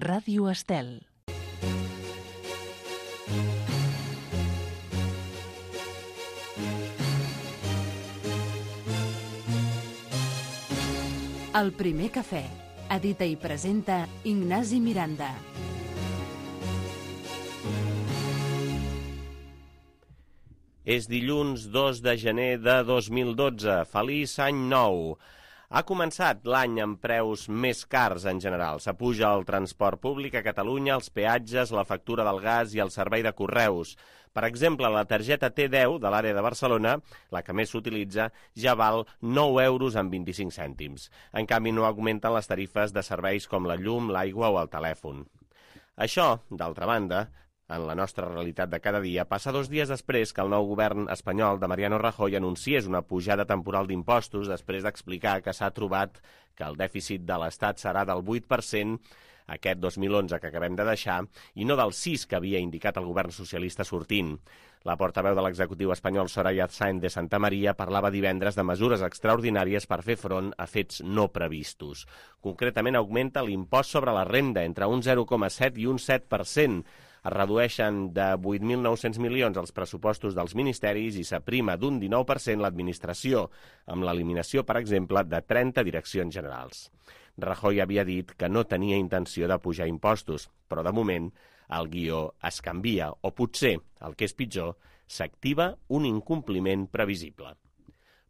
Ràdio Estel. El primer cafè. Edita i presenta Ignasi Miranda. És dilluns 2 de gener de 2012. Feliç any nou! Ha començat l'any amb preus més cars en general. S'apuja el transport públic a Catalunya, els peatges, la factura del gas i el servei de correus. Per exemple, la targeta T10 de l'àrea de Barcelona, la que més s'utilitza, ja val 9 euros amb 25 cèntims. En canvi, no augmenten les tarifes de serveis com la llum, l'aigua o el telèfon. Això, d'altra banda, en la nostra realitat de cada dia, passa 2 dies després que el nou govern espanyol de Mariano Rajoy anunciés una pujada temporal d'impostos després d'explicar que s'ha trobat que el dèficit de l'Estat serà del 8% aquest 2011 que acabem de deixar i no del 6% que havia indicat el govern socialista sortint. La portaveu de l'executiu espanyol Soraya Sáenz de Santamaría parlava divendres de mesures extraordinàries per fer front a fets no previstos. Concretament augmenta l'impost sobre la renda entre un 0,7 i un 7%. Es redueixen de 8.900 milions els pressupostos dels ministeris i s'aprima d'un 19% l'administració, amb l'eliminació, per exemple, de 30 direccions generals. Rajoy havia dit que no tenia intenció de pujar impostos, però de moment el guió es canvia, o potser, el que és pitjor, s'activa un incompliment previsible.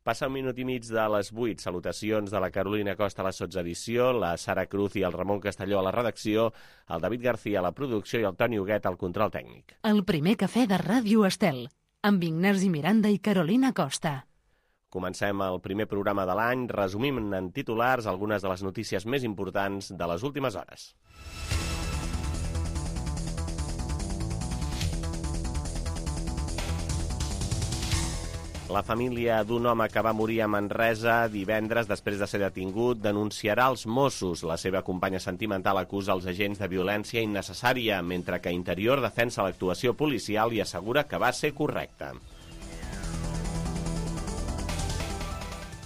Passa 1 minut i mig de les 8. Salutacions de la Carolina Costa a la sotsedició, la Sara Cruz i el Ramon Castelló a la redacció, el David García a la producció i el Toni Huguet al control tècnic. El primer cafè de Ràdio Estel, amb Ignasi Miranda i Carolina Costa. Comencem el primer programa de l'any, resumim en titulars algunes de les notícies més importants de les últimes hores. La família d'un home que va morir a Manresa divendres després de ser detingut denunciarà els Mossos. La seva companya sentimental acusa els agents de violència innecessària, mentre que Interior defensa l'actuació policial i assegura que va ser correcta.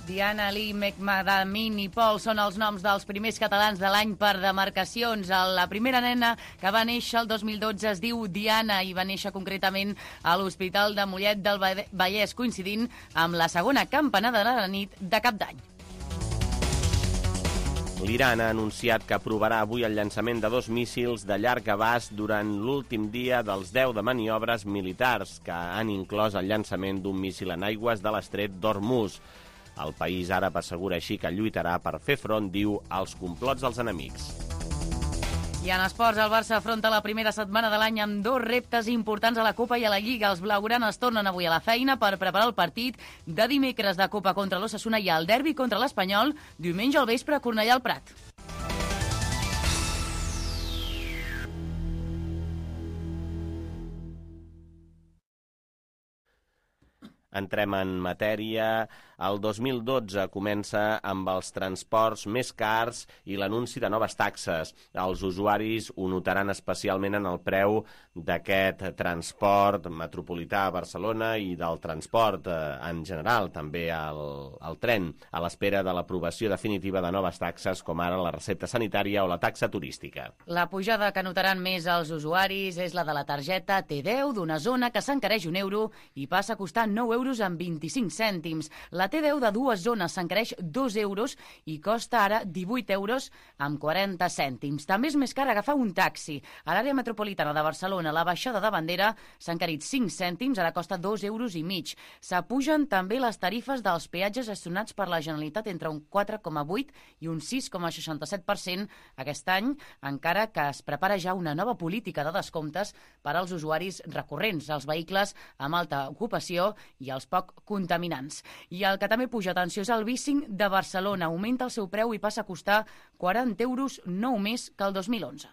Diana, Ali, Mekmadamin i Pol són els noms dels primers catalans de l'any per demarcacions. La primera nena que va néixer el 2012 es diu Diana i va néixer concretament a l'Hospital de Mollet del Vallès, coincidint amb la segona campanada de la nit de Cap d'Any. L'Iran ha anunciat que aprovarà avui el llançament de 2 míssils de llarg abast durant l'últim dia dels 10 de maniobres militars, que han inclòs el llançament d'un míssil en aigües de l'estret d'Hormuz. El país àrab assegura així que lluitarà per fer front, diu, als complots dels enemics. I en esports, el Barça afronta la primera setmana de l'any amb 2 reptes importants a la Copa i a la Lliga. Els blaugranes tornen avui a la feina per preparar el partit de dimecres de Copa contra l'Osasuna i el derbi contra l'Espanyol diumenge al vespre a Cornellà al Prat. Entrem en matèria. El 2012 comença amb els transports més cars i l'anunci de noves taxes. Els usuaris ho notaran especialment en el preu d'aquest transport metropolità a Barcelona i del transport en general, també el tren, a l'espera de l'aprovació definitiva de noves taxes com ara la recepta sanitària o la taxa turística. La pujada que notaran més els usuaris és la de la targeta T10 d'una zona que s'encareix 1 euro i passa a costar 9 euros amb 25 cèntims. La T10 de 2 zones s'encareix 2 euros i costa ara 18 euros amb 40 cèntims. També és més car agafar un taxi. A l'àrea metropolitana de Barcelona, la baixada de Bandera s'ha encarit 5 cèntims, ara costa 2 euros i mig. S'apugen també les tarifes dels peatges gestionats per la Generalitat entre un 4,8 i un 6,67% aquest any, encara que es prepara ja una nova política de descomptes per als usuaris recurrents, els vehicles amb alta ocupació i els poc contaminants. I el que també puja, atenció, és el bicing de Barcelona. Augmenta el seu preu i passa a costar 40 euros, 9 més que el 2011.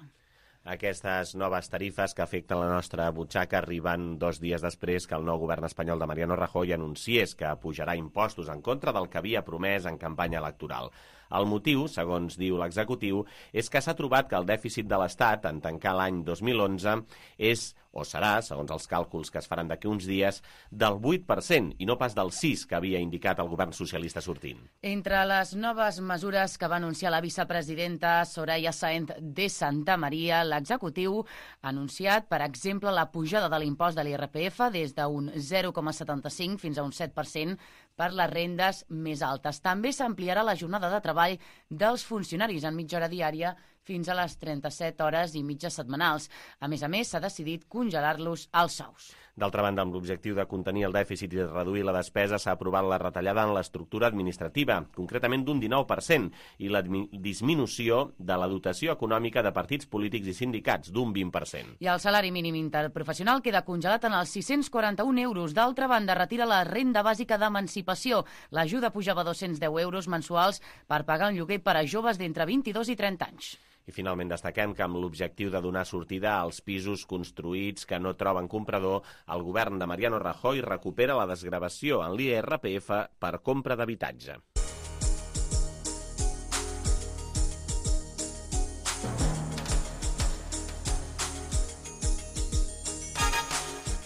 Aquestes noves tarifes que afecten la nostra butxaca arriben 2 dies després que el nou govern espanyol de Mariano Rajoy anunciés que pujarà impostos en contra del que havia promès en campanya electoral. El motiu, segons diu l'executiu, és que s'ha trobat que el dèficit de l'Estat en tancar l'any 2011 és, o serà, segons els càlculs que es faran d'aquí uns dies, del 8% i no pas del 6% que havia indicat el govern socialista sortint. Entre les noves mesures que va anunciar la vicepresidenta Soraya Sáenz de Santa Maria, l'executiu ha anunciat, per exemple, la pujada de l'impost de l'IRPF des d'un 0,75 fins a un 7% per les rendes més altes. També s'ampliarà la jornada de treball dels funcionaris en mitja hora diària fins a les 37 hores i mitja setmanals. A més, s'ha decidit congelar-los els sous. D'altra banda, amb l'objectiu de contenir el dèficit i de reduir la despesa, s'ha aprovat la retallada en l'estructura administrativa, concretament d'un 19%, i la disminució de la dotació econòmica de partits polítics i sindicats, d'un 20%. I el salari mínim interprofessional queda congelat en els 641 euros. D'altra banda, retira la renda bàsica d'emancipació. L'ajuda pujava a 210 euros mensuals per pagar un lloguer per a joves d'entre 22 i 30 anys. I finalment destaquem que amb l'objectiu de donar sortida als pisos construïts que no troben comprador, el govern de Mariano Rajoy recupera la desgravació en l'IRPF per compra d'habitatge.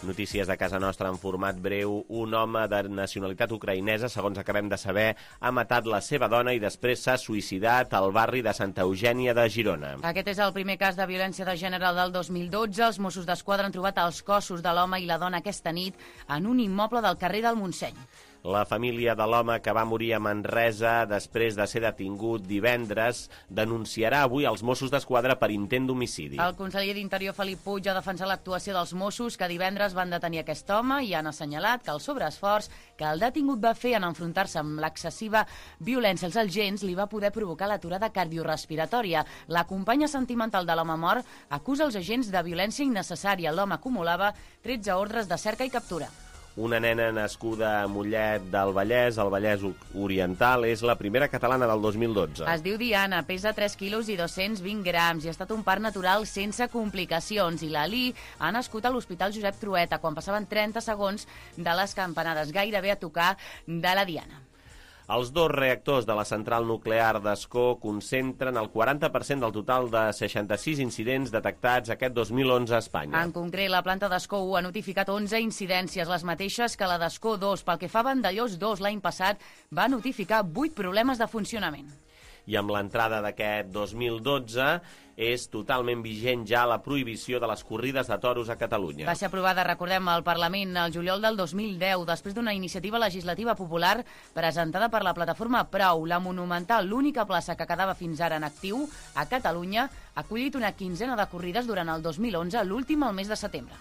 Notícies de casa nostra en format breu. Un home de nacionalitat ucraïnesa, segons acabem de saber, ha matat la seva dona i després s'ha suïcidat al barri de Santa Eugènia de Girona. Aquest és el primer cas de violència de gènere del 2012. Els Mossos d'Esquadra han trobat els cossos de l'home i la dona aquesta nit en un immoble del carrer del Montseny. La família de l'home que va morir a Manresa després de ser detingut divendres denunciarà avui als Mossos d'Esquadra per intent d'homicidi. El conseller d'Interior, Felip Puig, ha defensat l'actuació dels Mossos que divendres van detenir aquest home i han assenyalat que el sobreesforç que el detingut va fer en enfrontar-se amb l'excessiva violència als agents li va poder provocar l'aturada cardiorespiratòria. La companya sentimental de l'home mort acusa els agents de violència innecessària. L'home acumulava 13 ordres de cerca i captura. Una nena nascuda a Mollet del Vallès, al Vallès Oriental, és la primera catalana del 2012. Es diu Diana, pesa 3 quilos i 220 grams i ha estat un part natural sense complicacions. I l'Ali ha nascut a l'Hospital Josep Trueta quan passaven 30 segons de les campanades, gairebé a tocar de la Diana. Els dos reactors de la central nuclear d'Ascó concentren el 40% del total de 66 incidents detectats aquest 2011 a Espanya. En concret, la planta d'Ascó 1 ha notificat 11 incidències, les mateixes que la d'Ascó 2. Pel que fa a Vandellós 2, l'any passat va notificar 8 problemes de funcionament. I amb l'entrada d'aquest 2012 és totalment vigent ja la prohibició de les corrides de toros a Catalunya. Va ser aprovada, recordem, al Parlament el juliol del 2010, després d'una iniciativa legislativa popular presentada per la plataforma Prou. La Monumental, l'única plaça que quedava fins ara en actiu a Catalunya, ha acollit una quinzena de corrides durant el 2011, l'última al mes de setembre.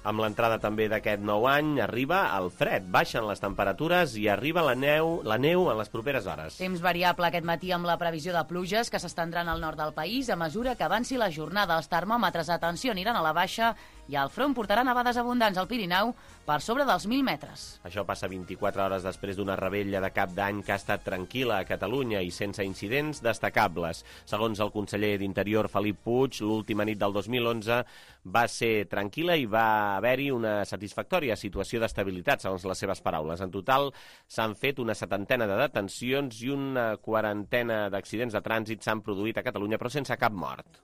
Amb l'entrada també d'aquest nou any arriba el fred, baixen les temperatures i arriba la neu en les properes hores. Temps variable aquest matí amb la previsió de pluges que s'estendran al nord del país a mesura que avanci la jornada. Els termòmetres, atenció, aniran a la baixa i el front portarà nevades abundants al Pirineu per sobre dels 1.000 metres. Això passa 24 hores després d'una rebella de cap d'any que ha estat tranquil·la a Catalunya i sense incidents destacables. Segons el conseller d'Interior, Felip Puig, l'última nit del 2011 va ser tranquil·la i va haver-hi una satisfactòria situació d'estabilitat, segons les seves paraules. En total, s'han fet una 70ena de detencions i una 40ena d'accidents de trànsit s'han produït a Catalunya, però sense cap mort.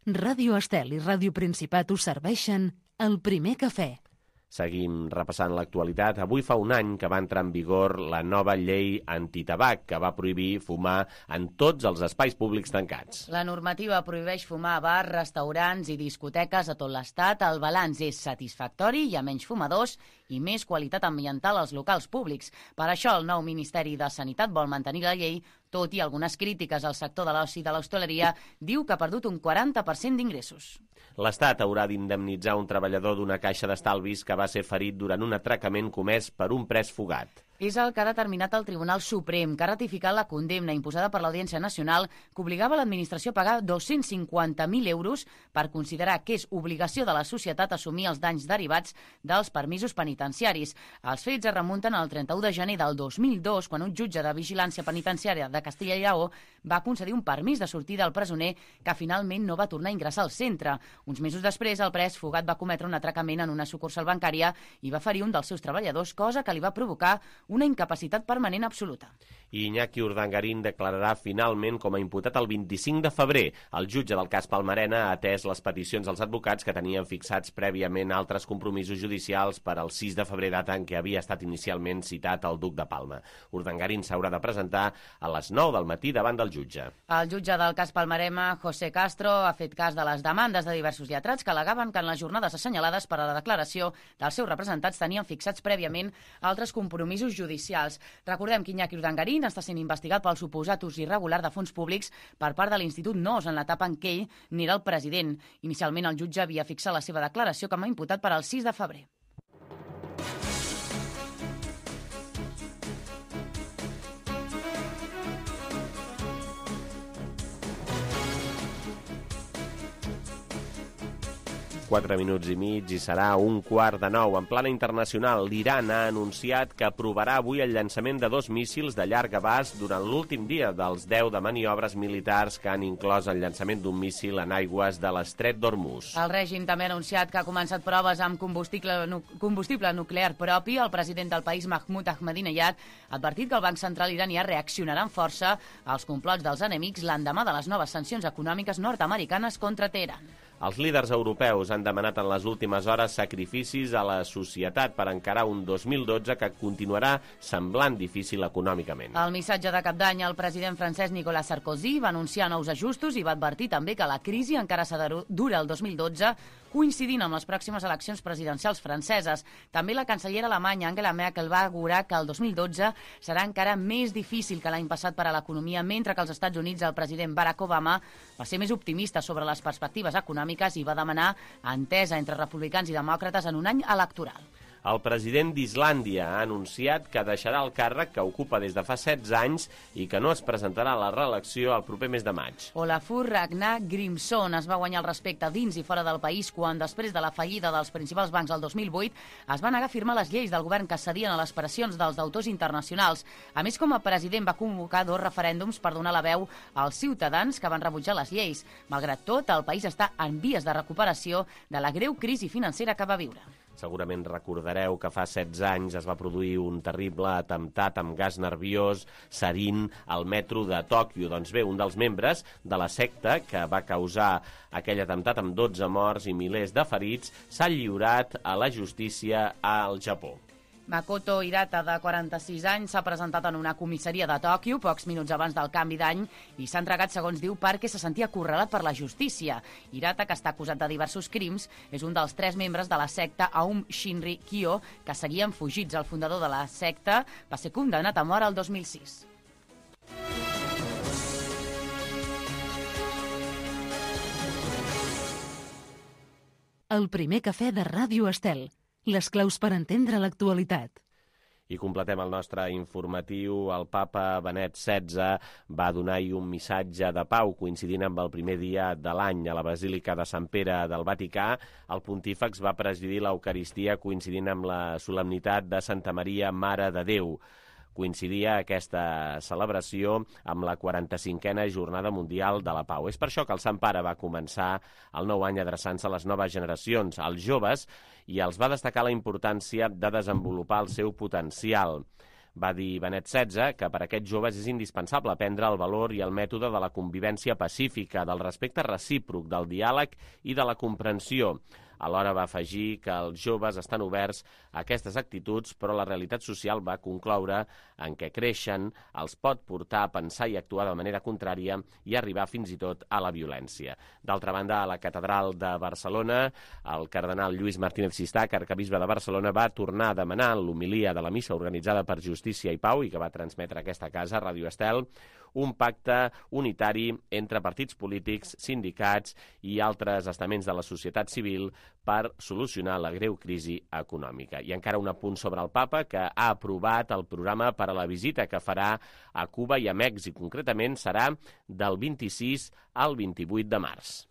Ràdio Estel i Ràdio Principat us serveixen el primer cafè. Seguim repassant l'actualitat. Avui fa un any que va entrar en vigor la nova llei antitabac, que va prohibir fumar en tots els espais públics tancats. La normativa prohibeix fumar a bars, restaurants i discoteques a tot l'Estat. El balanç és satisfactori, hi ha menys fumadors i més qualitat ambiental als locals públics. Per això el nou Ministeri de Sanitat vol mantenir la llei, tot i algunes crítiques al sector de l'oci i de l'hostaleria, diu que ha perdut un 40% d'ingressos. L'Estat haurà d'indemnitzar un treballador d'una caixa d'estalvis que va ser ferit durant un atracament comès per un pres fugat. És el que ha determinat el Tribunal Suprem, que ha ratificat la condemna imposada per l'Audiència Nacional que obligava l'administració a pagar 250.000 euros per considerar que és obligació de la societat assumir els danys derivats dels permisos penitenciaris. Els fets es remunten al 31 de gener del 2002, quan un jutge de vigilància penitenciària de Castilla i Lleó va concedir un permís de sortida al presoner que finalment no va tornar a ingressar al centre. Uns mesos després, el pres fugat va cometre un atracament en una sucursal bancària i va ferir un dels seus treballadors, cosa que li va provocar una incapacitat permanent absoluta. Iñaki Urdangarín declararà finalment com a imputat el 25 de febrer. El jutge del cas Palmarena ha atès les peticions dels advocats que tenien fixats prèviament altres compromisos judicials per al 6 de febrer, data en què havia estat inicialment citat el duc de Palma. Urdangarín s'haurà de presentar a les 9 del matí davant del jutge. El jutge del cas Palmarena, José Castro, ha fet cas de les demandes de diversos lletrats que al·legaven que en les jornades assenyalades per a la declaració dels seus representats tenien fixats prèviament altres compromisos judicials. Recordem que Iñaki Urdangarín està sent investigat pel suposat ús irregular de fons públics per part de l'Institut NOS en l'etapa en què ell n'era el president. Inicialment el jutge havia fixat la seva declaració com a imputat per al 6 de febrer. Quatre minuts i mig i serà 8:45. En plana internacional, l'Iran ha anunciat que aprovarà avui el llançament de 2 míssils de llarg abast durant l'últim dia dels 10 de maniobres militars que han inclòs el llançament d'un míssil en aigües de l'estret d'Hormuz. El règim també ha anunciat que ha començat proves amb combustible nuclear propi. El president del país, Mahmoud Ahmadinejad, ha advertit que el Banc Central iranià reaccionarà amb força als complots dels enemics l'endemà de les noves sancions econòmiques nord-americanes contra Teheran. Els líders europeus han demanat en les últimes hores sacrificis a la societat per encarar un 2012 que continuarà semblant difícil econòmicament. Al missatge de cap d'any, el president francès Nicolas Sarkozy va anunciar nous ajustos i va advertir també que la crisi encara s'ha de durar el 2012, coincidint amb les pròximes eleccions presidencials franceses. També la cancellera alemanya Angela Merkel va augurar que el 2012 serà encara més difícil que l'any passat per a l'economia, mentre que als Estats Units el president Barack Obama va ser més optimista sobre les perspectives econòmiques i va demanar entesa entre republicans i demòcrates en un any electoral. El president d'Islàndia ha anunciat que deixarà el càrrec que ocupa des de fa 16 anys i que no es presentarà a la reelecció el proper mes de maig. Olafur Ragnar Grimsson es va guanyar el respecte dins i fora del país quan, després de la fallida dels principals bancs el 2008, es va negar a firmar les lleis del govern que cedien a les pressions dels deutors internacionals. A més, com a president va convocar 2 referèndums per donar la veu als ciutadans que van rebutjar les lleis. Malgrat tot, el país està en vies de recuperació de la greu crisi financera que va viure. Segurament recordareu que fa 16 anys es va produir un terrible atemptat amb gas nerviós sarin al metro de Tòquio. Doncs bé, un dels membres de la secta que va causar aquell atemptat amb 12 morts i milers de ferits s'ha lliurat a la justícia al Japó. Makoto Hirata, de 46 anys, s'ha presentat en una comissaria de Tòquio pocs minuts abans del canvi d'any i s'ha entregat, segons diu, perquè se sentia acorralat per la justícia. Hirata, que està acusat de diversos crims, és un dels 3 membres de la secta Aum Shinrikyo que seguien fugits. El fundador de la secta va ser condemnat a mort el 2006. El primer cafè de Ràdio Estel. Les claus per entendre l'actualitat. I completem el nostre informatiu. El papa Benet XVI va donar-hi un missatge de pau coincidint amb el primer dia de l'any a la Basílica de Sant Pere del Vaticà. El pontífex va presidir l'Eucaristia coincidint amb la solemnitat de Santa Maria, Mare de Déu. Coincidia aquesta celebració amb la 45a Jornada Mundial de la Pau. És per això que el Sant Pare va començar el nou any adreçant-se a les noves generacions, als joves, i els va destacar la importància de desenvolupar el seu potencial. Va dir Benet XVI que per a aquests joves és indispensable aprendre el valor i el mètode de la convivència pacífica, del respecte recíproc, del diàleg i de la comprensió. Alhora va afegir que els joves estan oberts a aquestes actituds, però la realitat social va concloure en què creixen els pot portar a pensar i actuar de manera contrària i arribar fins i tot a la violència. D'altra banda, a la Catedral de Barcelona, el cardenal Lluís Martínez Sistac, arquebisbe de Barcelona, va tornar a demanar en l'homilia de la missa organitzada per Justícia i Pau i que va transmetre aquesta casa, Ràdio Estel, un pacte unitari entre partits polítics, sindicats i altres estaments de la societat civil per solucionar la greu crisi econòmica. I encara un apunt sobre el papa, que ha aprovat el programa per a la visita que farà a Cuba i a Mèxic. Concretament serà del 26 al 28 de març.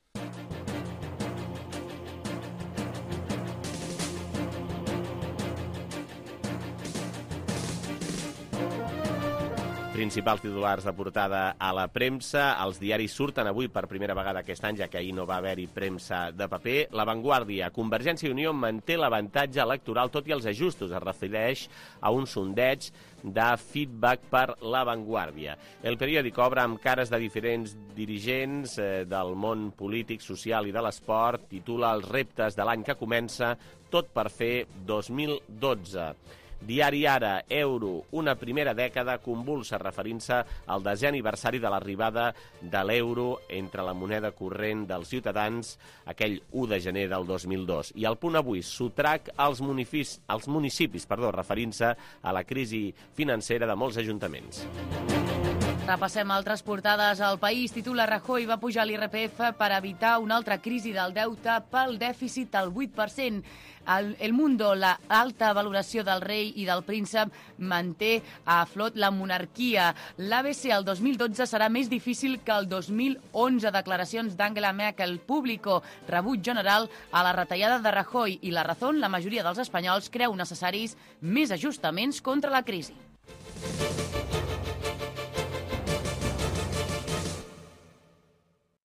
Principals titulars de portada a la premsa. Els diaris surten avui per primera vegada aquest any, ja que ahir no va haver-hi premsa de paper. La Vanguardia. Convergència i Unió manté l'avantatge electoral tot i els ajustos. Es refereix a un sondeig de feedback per La Vanguardia. El periòdic obre amb cares de diferents dirigents del món polític, social i de l'esport. Titula Els reptes de l'any que comença, tot per fer 2012. Diari Ara, euro, una primera dècada convulsa, referint-se al 10è aniversari de l'arribada de l'euro entre la moneda corrent dels ciutadans aquell 1 de gener del 2002. I al Punt Avui, sotrac als municipis, referint-se a la crisi financera de molts ajuntaments. Repassem altres portades. El País titula Rajoy va pujar l'IRPF per evitar una altra crisi del deute pel dèficit al 8%. El Mundo, la alta valoració del rei i del príncep manté a flot la monarquia. L'ABC el 2012 serà més difícil que el 2011. Declaracions d'Angela Merkel. Público, rebuig general a la retallada de Rajoy. I La Razón, la majoria dels espanyols creu necessaris més ajustaments contra la crisi.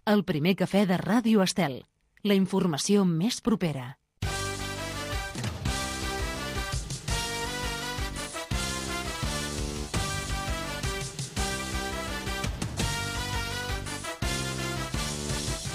El primer cafè de Ràdio Estel. La informació més propera.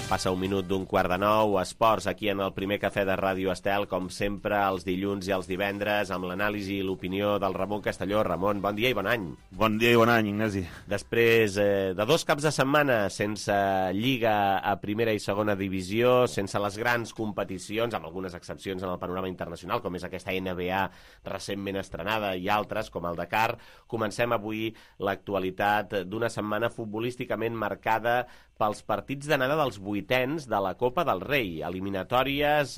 Passa un minut d'un 8:15, esports, aquí en el primer cafè de Ràdio Estel, com sempre, els dilluns i els divendres, amb l'anàlisi i l'opinió del Ramon Castelló. Ramon, bon dia i bon any. Bon dia i bon any, Ignasi. Després de 2 caps de setmana sense Lliga a primera i segona divisió, sense les grans competicions, amb algunes excepcions en el panorama internacional, com és aquesta NBA recentment estrenada i altres, com el Dakar, comencem avui l'actualitat d'una setmana futbolísticament marcada pels partits d'anada dels vuitens de la Copa del Rei, eliminatòries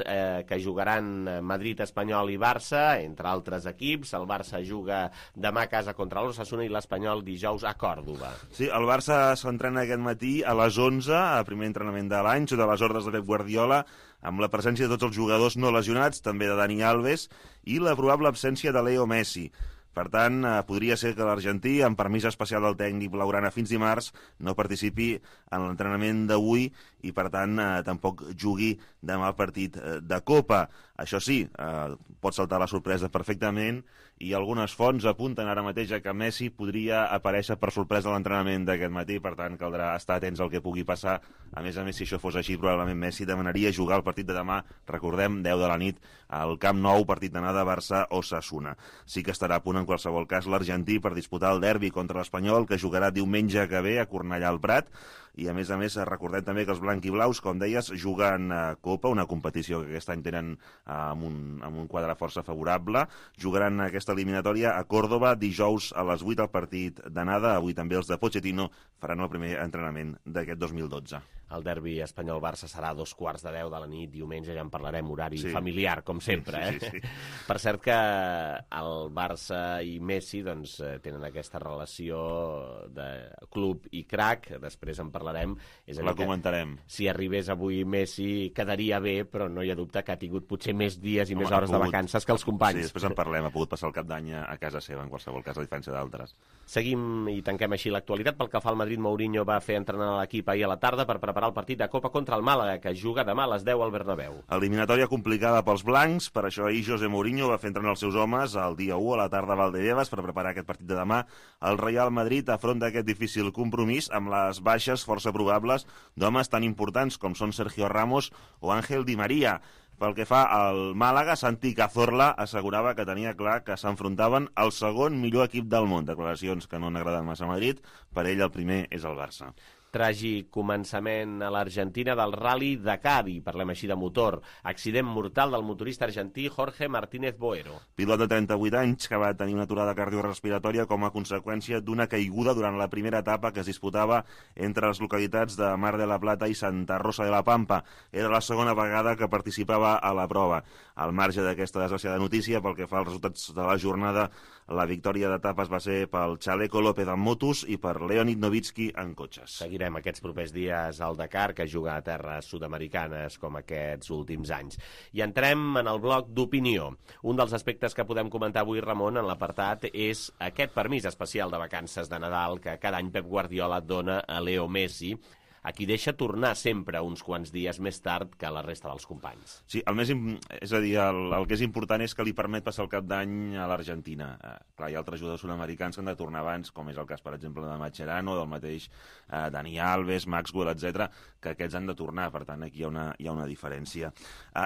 que jugaran Madrid, Espanyol i Barça, entre altres equips. El Barça juga demà a casa contra l'Osasuna i l'Espanyol dijous a Còrdova. Sí, el Barça s'entrena aquest matí a les 11, a primer entrenament de l'any, sota les ordres de Pep Guardiola, amb la presència de tots els jugadors no lesionats, també de Dani Alves, i la probable absència de Leo Messi. Per tant, podria ser que l'argentí, amb permís especial del tècnic blaugrana fins dimarts, no participi en l'entrenament d'avui i, per tant, tampoc jugui demà el partit de Copa. Això sí, pot saltar la sorpresa perfectament i algunes fonts apunten ara mateix que Messi podria aparèixer per sorpresa a l'entrenament d'aquest matí, per tant, caldrà estar atents al que pugui passar. A més, si això fos així, probablement Messi demanaria jugar el partit de demà, recordem, 10 de la nit, al Camp Nou, partit d'anada Barça-Osasuna. Sí que estarà a punt, en qualsevol cas, l'argentí per disputar el derbi contra l'Espanyol, que jugarà diumenge que ve a Cornellà al Prat. I, a més, recordem també que els blanquiblaus, com deies, juguen a Copa, una competició que aquest any tenen amb un quadre força favorable. Jugaran aquesta eliminatòria a Còrdova dijous a les 8 al partit d'anada. Avui també els de Pochettino faran el primer entrenament d'aquest 2012. El derbi Espanyol-Barça serà a 2:15 de la nit, diumenge, ja en parlarem, horari familiar, com sempre. Sí. Per cert que el Barça i Messi tenen aquesta relació de club i crac, després en parlarem. La comentarem. Si arribés avui Messi quedaria bé, però no hi ha dubte que ha tingut potser més dies i més hores de vacances que els companys. Sí, després en parlem, ha pogut passar el cap d'any a casa seva, en qualsevol cas, a diferència d'altres. Seguim i tanquem així l'actualitat. Pel que fa al Madrid, Mourinho va fer entrenar l'equip ahir a la tarda per preparar el partit de Copa contra el Màlaga, que juga demà a les 10 al Bernabéu. Eliminatòria complicada pels blancs, per això ahir José Mourinho va fer entrenar els seus homes el dia 1 a la tarda a Valdebebas per preparar aquest partit de demà. El Real Madrid afronta aquest difícil compromís amb les baixes força probables d'homes tan importants com són Sergio Ramos o Ángel Di María. Pel que fa al Màlaga, Santi Cazorla assegurava que tenia clar que s'enfrontaven al segon millor equip del món. Declaracions que no han agradat massa a Madrid. Per ell el primer és el Barça. Tràgic començament a l'Argentina del Rally Dakar, i parlem així de motor. Accident mortal del motorista argentí Jorge Martínez Boero. Pilot de 38 anys que va tenir una aturada cardiorrespiratòria com a conseqüència d'una caiguda durant la primera etapa que es disputava entre les localitats de Mar de la Plata i Santa Rosa de la Pampa. Era la segona vegada que participava a la prova. Al marge d'aquesta desgraciada notícia, pel que fa als resultats de la jornada, la victòria d'etapes va ser pel Chaleco López en motos i per Leonid Novitsky en cotxes. Seguirem aquests propers dies al Dakar, que juga a terres sud-americanes com aquests últims anys. I entrem en el bloc d'opinió. Un dels aspectes que podem comentar avui, Ramon, en l'apartat, és aquest permís especial de vacances de Nadal que cada any Pep Guardiola dona a Leo Messi, a qui deixa tornar sempre uns quants dies més tard que la resta dels companys. Sí, és a dir, el que és important és que li permet passar el cap d'any a l'Argentina. Clar, hi ha altres jugadors sud-americans que han de tornar abans, com és el cas, per exemple, de Mascherano, del mateix Dani Alves, Maxwell, etc, que aquests han de tornar, per tant, aquí hi ha una diferència.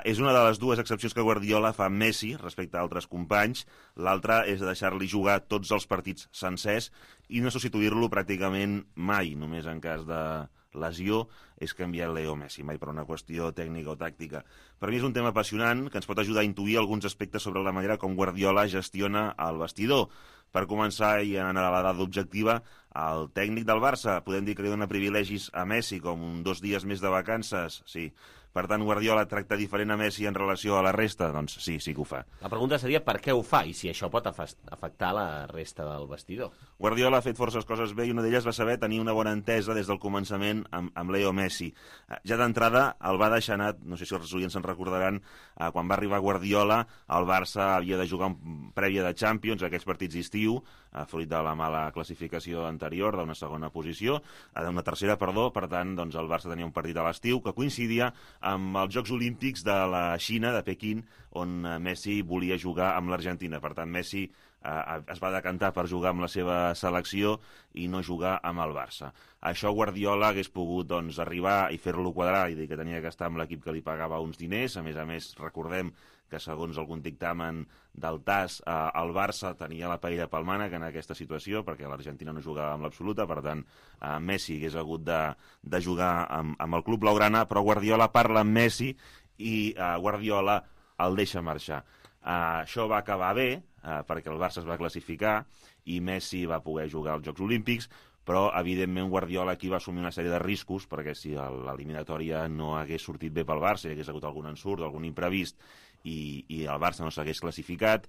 És una de les dues excepcions que Guardiola fa amb Messi respecte a altres companys. L'altra és deixar-li jugar tots els partits sencers i no substituir-lo pràcticament mai, només en cas de lesió és canviar Leo Messi, mai per una qüestió tècnica o tàctica. Per mi és un tema apassionant que ens pot ajudar a intuir alguns aspectes sobre la manera com Guardiola gestiona el vestidor. Per començar, i en la dada objectiva, el tècnic del Barça podem dir que li dona privilegis a Messi, com 2 dies més de vacances, sí. Per tant, Guardiola tracta diferent a Messi en relació a la resta? Doncs sí que ho fa. La pregunta seria per què ho fa i si això pot afectar la resta del vestidor. Guardiola ha fet forces coses bé i una d'elles va saber tenir una bona entesa des del començament amb Leo Messi. Ja d'entrada el va deixar anar, no sé si els oients se'n recordaran, quan va arribar Guardiola, el Barça havia de jugar prèvia de Champions, aquests partits d'estiu, fruit de la mala classificació anterior, d'una tercera, per tant, doncs el Barça tenia un partit a l'estiu que coincidia amb els Jocs Olímpics de la Xina, de Pequín, on Messi volia jugar amb l'Argentina. Per tant, Messi es va decantar per jugar amb la seva selecció i no jugar amb el Barça. Això Guardiola hagués pogut arribar i fer-lo quadrar i dir que tenia que estar amb l'equip que li pagava uns diners. A més, recordem que segons algun dictamen del TAS, el Barça tenia la paella pel mànec en aquesta situació, perquè l'Argentina no jugava amb l'absoluta, per tant, Messi hagués hagut de jugar amb el club blaugrana, però Guardiola parla amb Messi i Guardiola el deixa marxar. Això va acabar bé, perquè el Barça es va classificar i Messi va poder jugar als Jocs Olímpics, però, evidentment, Guardiola aquí va assumir una sèrie de riscos, perquè si l'eliminatòria no hagués sortit bé pel Barça, hi hagués hagut algun ensurt, algun imprevist, i el Barça no s'hagués classificat,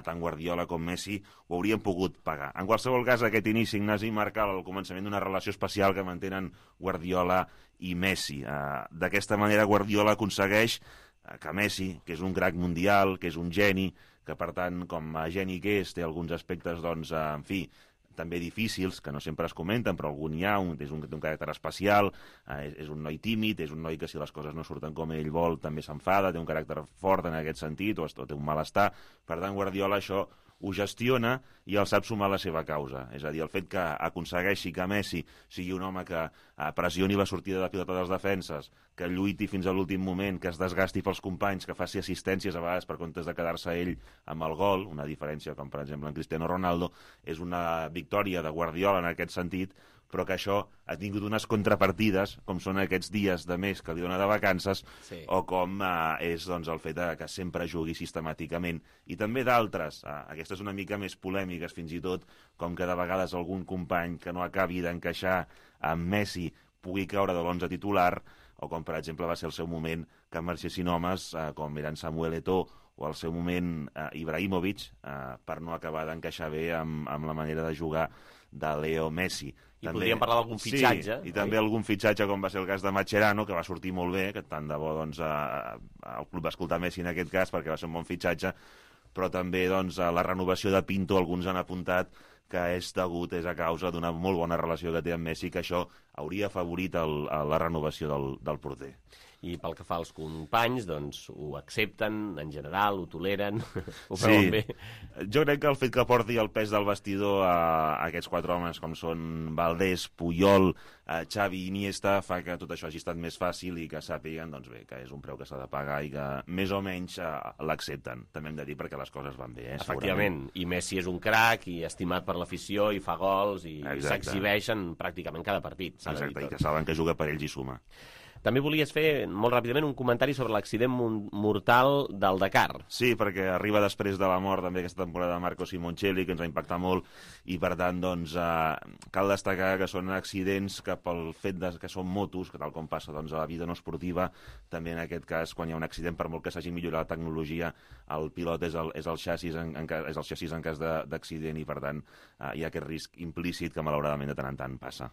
tant Guardiola com Messi ho haurien pogut pagar. En qualsevol cas, aquest inici, Ignasi, marca el començament d'una relació especial que mantenen Guardiola i Messi. D'aquesta manera, Guardiola aconsegueix que Messi, que és un crac mundial, que és un geni, que, per tant, com a geni que és, té alguns aspectes, en fi, també difícils, que no sempre es comenten, però algun hi ha, és un caràcter especial, és un noi tímid, és un noi que si les coses no surten com ell vol també s'enfada, té un caràcter fort en aquest sentit, o té un malestar. Per tant, Guardiola això ho gestiona i el sap sumar a la seva causa. És a dir, el fet que aconsegueixi que Messi sigui un home que pressioni la sortida de pilota dels defenses, que lluiti fins a l'últim moment, que es desgasti pels companys, que faci assistències a vegades per comptes de quedar-se ell amb el gol, una diferència com per exemple en Cristiano Ronaldo, és una victòria de Guardiola en aquest sentit, però que això ha tingut unes contrapartides, com són aquests dies de mes que li dona de vacances, sí, o com és el fet que sempre jugui sistemàticament. I també d'altres, aquestes una mica més polèmiques fins i tot, com que de vegades algun company que no acabi d'encaixar amb Messi pugui caure de l'11 titular, o com per exemple va ser el seu moment que marxessin homes com eren Samuel Eto'o o al seu moment Ibrahimovic, per no acabar d'encaixar bé amb la manera de jugar de Leo Messi. I també podríem parlar d'algun fitxatge. Sí, i també algun fitxatge com va ser el cas de Mascherano, que va sortir molt bé, que tant de bo el club va escoltar Messi en aquest cas perquè va ser un bon fitxatge, però també la renovació de Pinto, alguns han apuntat que és a causa d'una molt bona relació que té amb Messi, que això hauria afavorit la renovació del porter. i pel que fa als companys, doncs ho accepten, en general, ho toleren, ho veuen bé. Jo crec que el fet que porti el pes del vestidor a aquests 4 homes com són Valdés, Puyol, Xavi i Iniesta fa que tot això hagi estat més fàcil i que sàpiguen doncs bé, que és un preu que s'ha de pagar i que més o menys l'accepten. També hem de dir perquè les coses van bé, Efectivament, i Messi és un crac i estimat per l'afició i fa gols i s'exhibeix en pràcticament cada partit. Exacte, i que saben que juga per ells i suma. També volies fer, molt ràpidament, un comentari sobre l'accident mortal del Dakar. Sí, perquè arriba després de la mort també aquesta temporada de Marco Simoncelli, que ens ha impactat molt, i per tant, doncs, cal destacar que són accidents que pel fet que són motos, que tal com passa doncs, a la vida no esportiva, també en aquest cas, quan hi ha un accident, per molt que s'hagi millorat la tecnologia, el pilot és el xassis en cas d'accident i, per tant, hi ha aquest risc implícit que malauradament de tant en tant passa.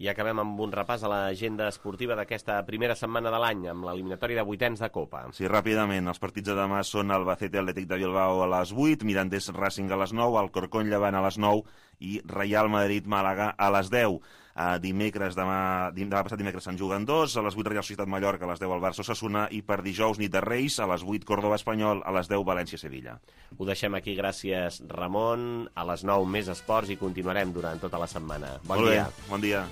I acabem amb un repàs a l'agenda esportiva d'aquesta primera setmana de l'any, amb l'eliminatòria de vuitens de Copa. Sí, ràpidament. Els partits de demà són Albacete Atlètic de Bilbao a les 8, Mirandés Racing a les 9, Alcorcón Llevant a les 9 i Real Madrid Màlaga a les 10. Demà passat dimecres se'n juguen 2, a les 8 Real Societat Mallorca, a les 10 el Barça Osasuna i per dijous nit de Reis, a les 8 Córdoba Espanyol, a les 10 València Sevilla. Ho deixem aquí, gràcies Ramon, a les 9 més esports i continuarem durant tota la setmana. Bon dia. Bon dia.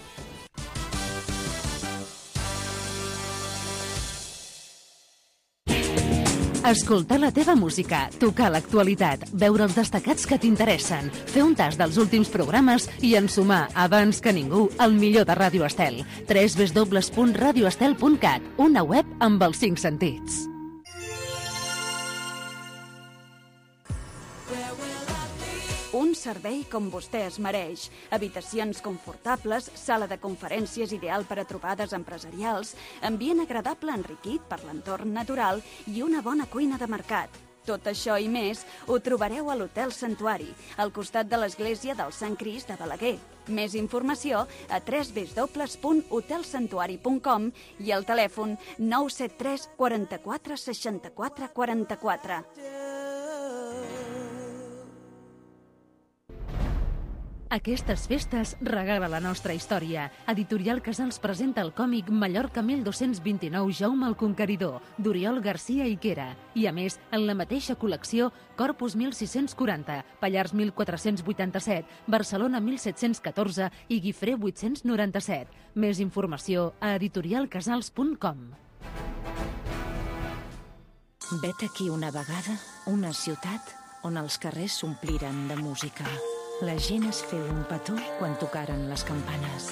Escoltar la teva música, tocar l'actualitat, veure els destacats que t'interessen, fer un tas dels últims programes i ensumar, abans que ningú, el millor de Ràdio Estel. www.radioestel.cat, una web amb els 5 sentits. Un servei com vostè es mereix. Habitacions confortables, sala de conferències ideal per a trobades empresarials, ambient agradable enriquit per l'entorn natural i una bona cuina de mercat. Tot això i més ho trobareu a l'Hotel Santuari, al costat de l'església del Sant Crist de Balaguer. Més informació a www.hotelsantuari.com i al telèfon 973 44 64 44. Aquestes festes regala la nostra història. Editorial Casals presenta el còmic Mallorca 1229 Jaume el Conqueridor, d'Oriol Garcia i Quera. I a més, en la mateixa col·lecció, Corpus 1640, Pallars 1487, Barcelona 1714 i Guifré 897. Més informació a editorialcasals.com. Vet aquí una vegada una ciutat on els carrers s'ompliren de música. La gent es feu un petó quan tocaren les campanes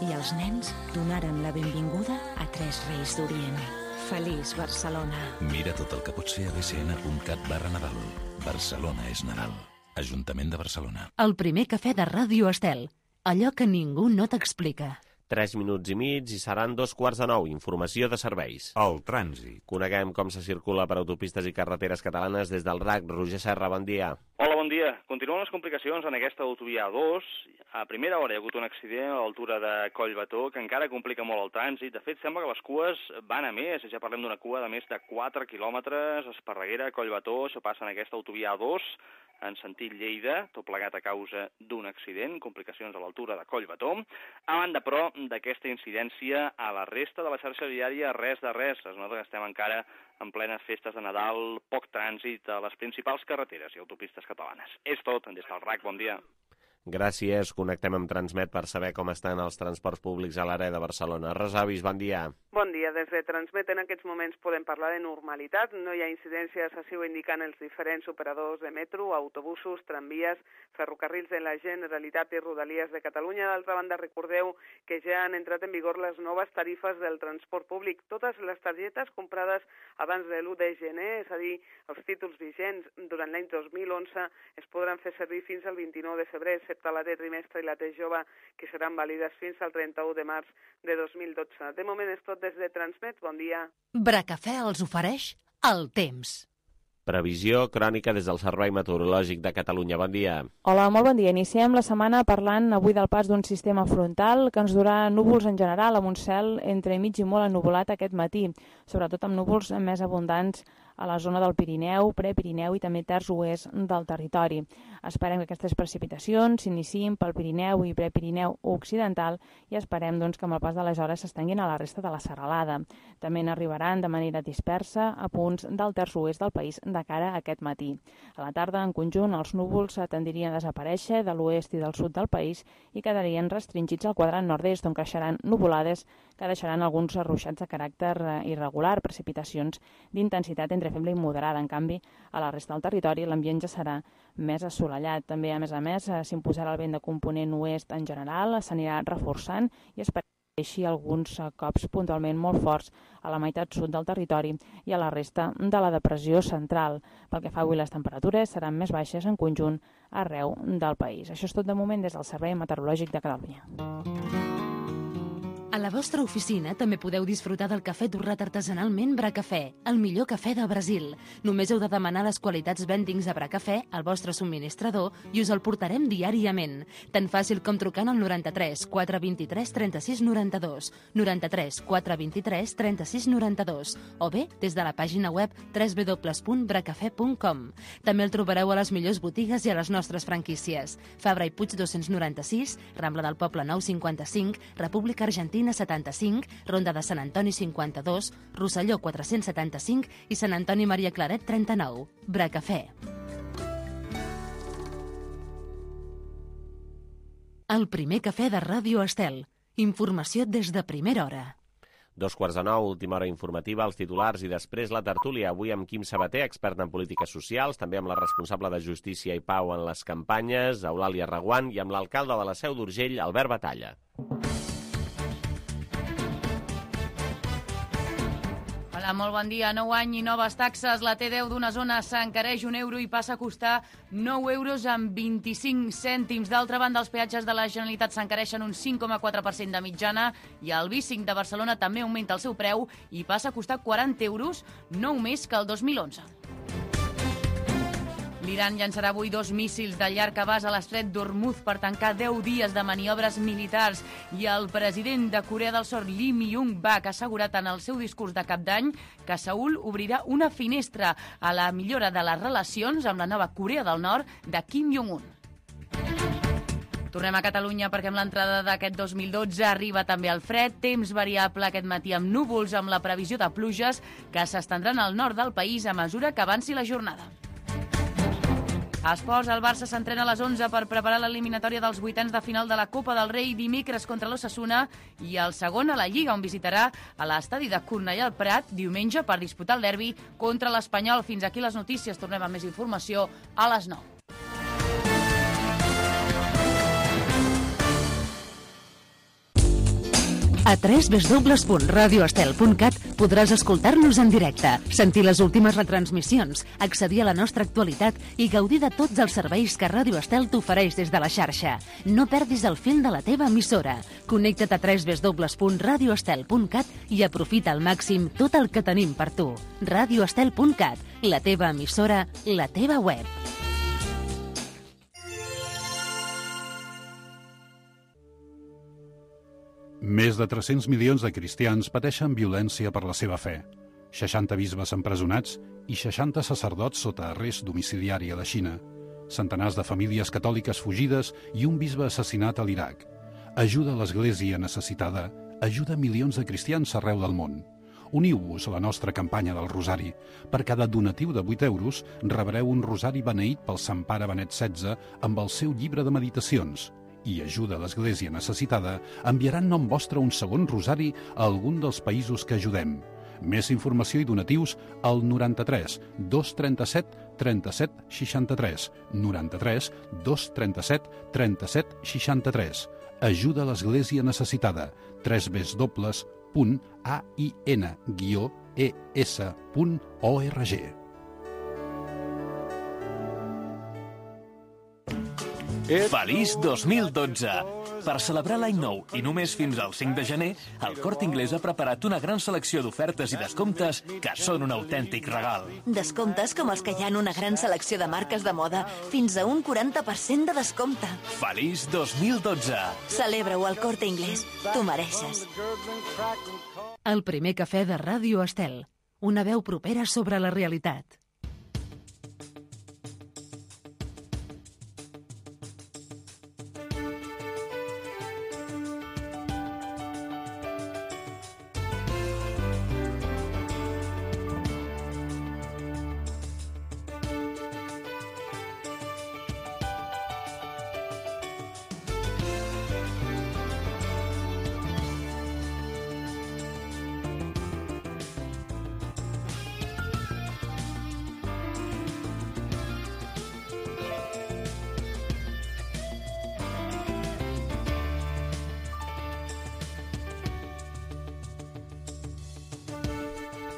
i els nens donaren la benvinguda a 3 reis d'Orient. Feliç Barcelona. Mira tot el que pot ser a bcn.cat/Nadal. Barcelona és Nadal. Ajuntament de Barcelona. El primer cafè de Ràdio Estel. Allò que ningú no t'explica. 3 minuts i mig i seran 8:45. Informació de serveis. El trànsit. Coneguem com se circula per autopistes i carreteres catalanes des del RAC. Roger Serra, bon dia. Hola, bon dia. Continuen les complicacions en aquesta autovia A2. A primera hora hi ha hagut un accident a l'altura de Collbató que encara complica molt el trànsit. De fet, sembla que les cues van a més. Ja parlem d'una cua de més de 4 quilòmetres. Esparreguera, Collbató, això passa en aquesta autovia A2 en sentit Lleida, tot plegat a causa d'un accident, complicacions a l'altura de Collbató. A banda, però, d'aquesta incidència, a la resta de la xarxa viària, res de res. Es nota que estem encara en plenes festes de Nadal, poc trànsit a les principals carreteres i autopistes catalanes. És tot, des del RAC, bon dia. Gràcies. Connectem amb Transmet per saber com estan els transports públics a l'àrea de Barcelona. Resavis, bon dia. Bon dia. Des de Transmet en aquests moments podem parlar de normalitat. No hi ha incidències, així ho indiquen els diferents operadors de metro, autobusos, tramvies, ferrocarrils de la Generalitat i Rodalies de Catalunya. D'altra banda, recordeu que ja han entrat en vigor les noves tarifes del transport públic. Totes les targetes comprades abans de l'1 de gener, és a dir, els títols vigents durant l'any 2011, es podran fer servir fins al 29 de febrer, excepte la de trimestre i la de jove, que seran vàlides fins al 31 de març de 2012. De moment és tot des de Transmet. Bon dia. Bracafè els ofereix el temps. Previsió crònica des del Servei Meteorològic de Catalunya. Bon dia. Hola, molt bon dia. Iniciem la setmana parlant avui del pas d'un sistema frontal que ens durà núvols en general, amb un cel entre mig i molt ennuvolat aquest matí, sobretot amb núvols més abundants a la zona del Pirineu, Prepirineu i també terç oest del territori. Esperem que aquestes precipitacions s'iniciïn pel Pirineu i Prepirineu occidental i esperem doncs, que amb el pas de les hores s'estenguin a la resta de la serralada. També n'arribaran de manera dispersa a punts del terç oest del país de cara a aquest matí. A la tarda, en conjunt, els núvols tendirien a desaparèixer de l'oest i del sud del país i quedarien restringits al quadrant nord-est, on creixeran nuvolades que deixaran alguns ruixats de caràcter irregular, precipitacions d'intensitat entre feble i moderada. En canvi, a la resta del territori l'ambient ja serà més assolellat. També, a més, s'imposarà el vent de component oest en general, s'anirà reforçant i esperem així alguns cops puntualment molt forts a la meitat sud del territori i a la resta de la depressió central. Pel que fa avui, les temperatures seran més baixes en conjunt arreu del país. Això és tot de moment des del Servei Meteorològic de Catalunya. A la vostra oficina també podeu disfrutar del cafè torrat artesanalment Bracafè, el millor cafè de Brasil. Només heu de demanar les qualitats Vendings a Bracafè al vostre subministrador i us el portarem diàriament. Tan fàcil com trucant al 93 423 36 92, 93 423 36 92 o bé des de la pàgina web www.bracafè.com. També el trobareu a les millors botigues i a les nostres franquícies. Fabra i Puig 296, Rambla del Poble 955, República Argentina 75, Ronda de Sant Antoni 52, Rosselló 475 i Sant Antoni Maria Claret 39. Bracafè. El primer cafè de Ràdio Estel. Informació des de primera hora. 8:45, última hora informativa, els titulars i després la tertúlia. Avui amb Quim Sabater, expert en polítiques socials, també amb la responsable de Justícia i Pau en les campanyes, Eulàlia Reguant, i amb l'alcalde de la Seu d'Urgell, Albert Batalla. Hola, molt bon dia. Nou any i noves taxes. La T10 d'una zona s'encareix €1 i passa a costar €9,25. D'altra banda, els peatges de la Generalitat s'encareixen un 5,4% de mitjana i el B5 de Barcelona també augmenta el seu preu i passa a costar €40, 9 més que el 2011. L'Iran llançarà avui 2 míssils de llarg abast a l'estret d'Hormuz per tancar 10 dies de maniobres militars i el president de Corea del Sud, Lee Myung-bak, ha assegurat en el seu discurs de cap d'any que Seül obrirà una finestra a la millora de les relacions amb la nova Corea del Nord de Kim Jong-un. Tornem a Catalunya perquè amb l'entrada d'aquest 2012 arriba també el fred, temps variable aquest matí amb núvols amb la previsió de pluges que s'estendran al nord del país a mesura que avanci la jornada. A esports, el Barça s'entrena a les 11 per preparar l'eliminatòria dels vuitens de final de la Copa del Rei dimecres contra l'Osasuna i el segon a la Lliga, on visitarà a l'estadi de Cornellà al Prat diumenge per disputar el derbi contra l'Espanyol. Fins aquí les notícies. Tornem amb més informació a les 9. A www.radioestel.cat podràs escoltar-nos en directe, sentir les últimes retransmissions, accedir a la nostra actualitat i gaudir de tots els serveis que Ràdio Estel t'ofereix des de la xarxa. No perdis el fil de la teva emissora. Connecta't a www.radioestel.cat i aprofita al màxim tot el que tenim per tu. Radioestel.cat, la teva emissora, la teva web. Més de 300 milions de cristians pateixen violència per la seva fe. 60 bisbes empresonats i 60 sacerdots sota arrest domiciliari a la Xina. Centenars de famílies catòliques fugides i un bisbe assassinat a l'Iraq. Ajuda a l'Església necessitada. Ajuda milions de cristians arreu del món. Uniu-vos a la nostra campanya del Rosari. Per cada donatiu de 8 euros rebreu un rosari beneït pel Sant Pare Benet XVI amb el seu llibre de meditacions. I Ajuda a l'Església necessitada enviarà en nom vostre un segon rosari a algun dels països que ajudem. Més informació i donatius al 93 237 37 63. 93 237 37 63. Ajuda a l'Església necessitada. www.ain-es.org. Feliç 2012! Per celebrar l'any nou i només fins al 5 de gener, el Corte Inglés ha preparat una gran selecció d'ofertes i descomptes que són un autèntic regal. Descomptes com els que hi ha en una gran selecció de marques de moda, fins a un 40% de descompte. Feliç 2012! Celebra-ho al Corte Inglés. T'ho mereixes. El primer cafè de Ràdio Estel. Una veu propera sobre la realitat.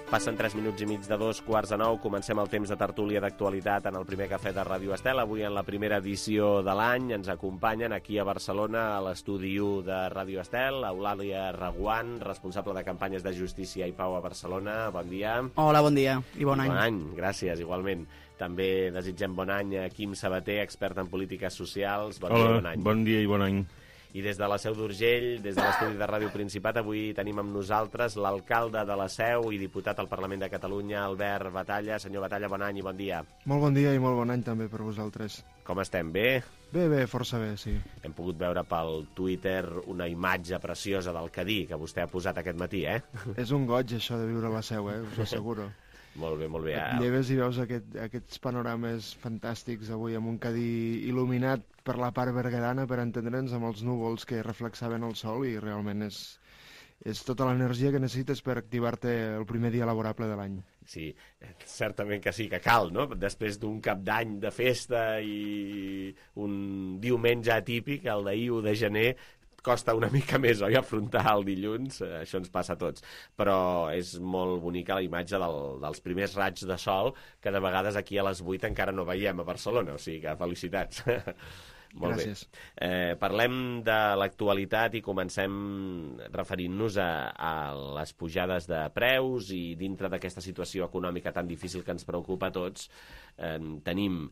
Passen 3 minuts i mig de 2:45. Comencem el temps de tertúlia d'actualitat en el primer cafè de Ràdio Estel. Avui en la primera edició de l'any ens acompanyen aquí a Barcelona, a l'estudi 1 de Ràdio Estel, Eulàlia Reguant, responsable de campanyes de justícia i pau a Barcelona. Bon dia. Hola, bon dia i bon any. Bon any, gràcies, igualment. També desitgem bon any a Quim Sabater, expert en polítiques socials. Bon dia i bon any. Bon dia i bon any. I des de la Seu d'Urgell, des de l'estudi de Ràdio Principat, avui tenim amb nosaltres l'alcalde de la Seu i diputat al Parlament de Catalunya, Albert Batalla. Senyor Batalla, bon any i bon dia. Molt bon dia i molt bon any també per vosaltres. Com estem, bé? Bé, força bé, sí. Hem pogut veure pel Twitter una imatge preciosa del Cadí que vostè ha posat aquest matí, eh? És un goig, això de viure a la Seu, us ho asseguro. Molt bé, molt bé. Et lleves i veus aquests panorames fantàstics avui amb un Cadí il·luminat per la part berguedana, per entendre'ns, amb els núvols que reflexaven el sol, i realment és tota l'energia que necessites per activar-te el primer dia laborable de l'any. Sí, certament que sí, que cal, no? Després d'un cap d'any de festa i un diumenge atípic, el d'ahir, 1 de gener, costa una mica més, oi, afrontar el dilluns, això ens passa a tots, però és molt bonica la imatge dels primers raigs de sol, que de vegades aquí a les 8 encara no veiem a Barcelona, o sigui que felicitats. Molt Gràcies. Bé. Parlem de l'actualitat i comencem referint-nos a les pujades de preus, i dintre d'aquesta situació econòmica tan difícil que ens preocupa a tots, tenim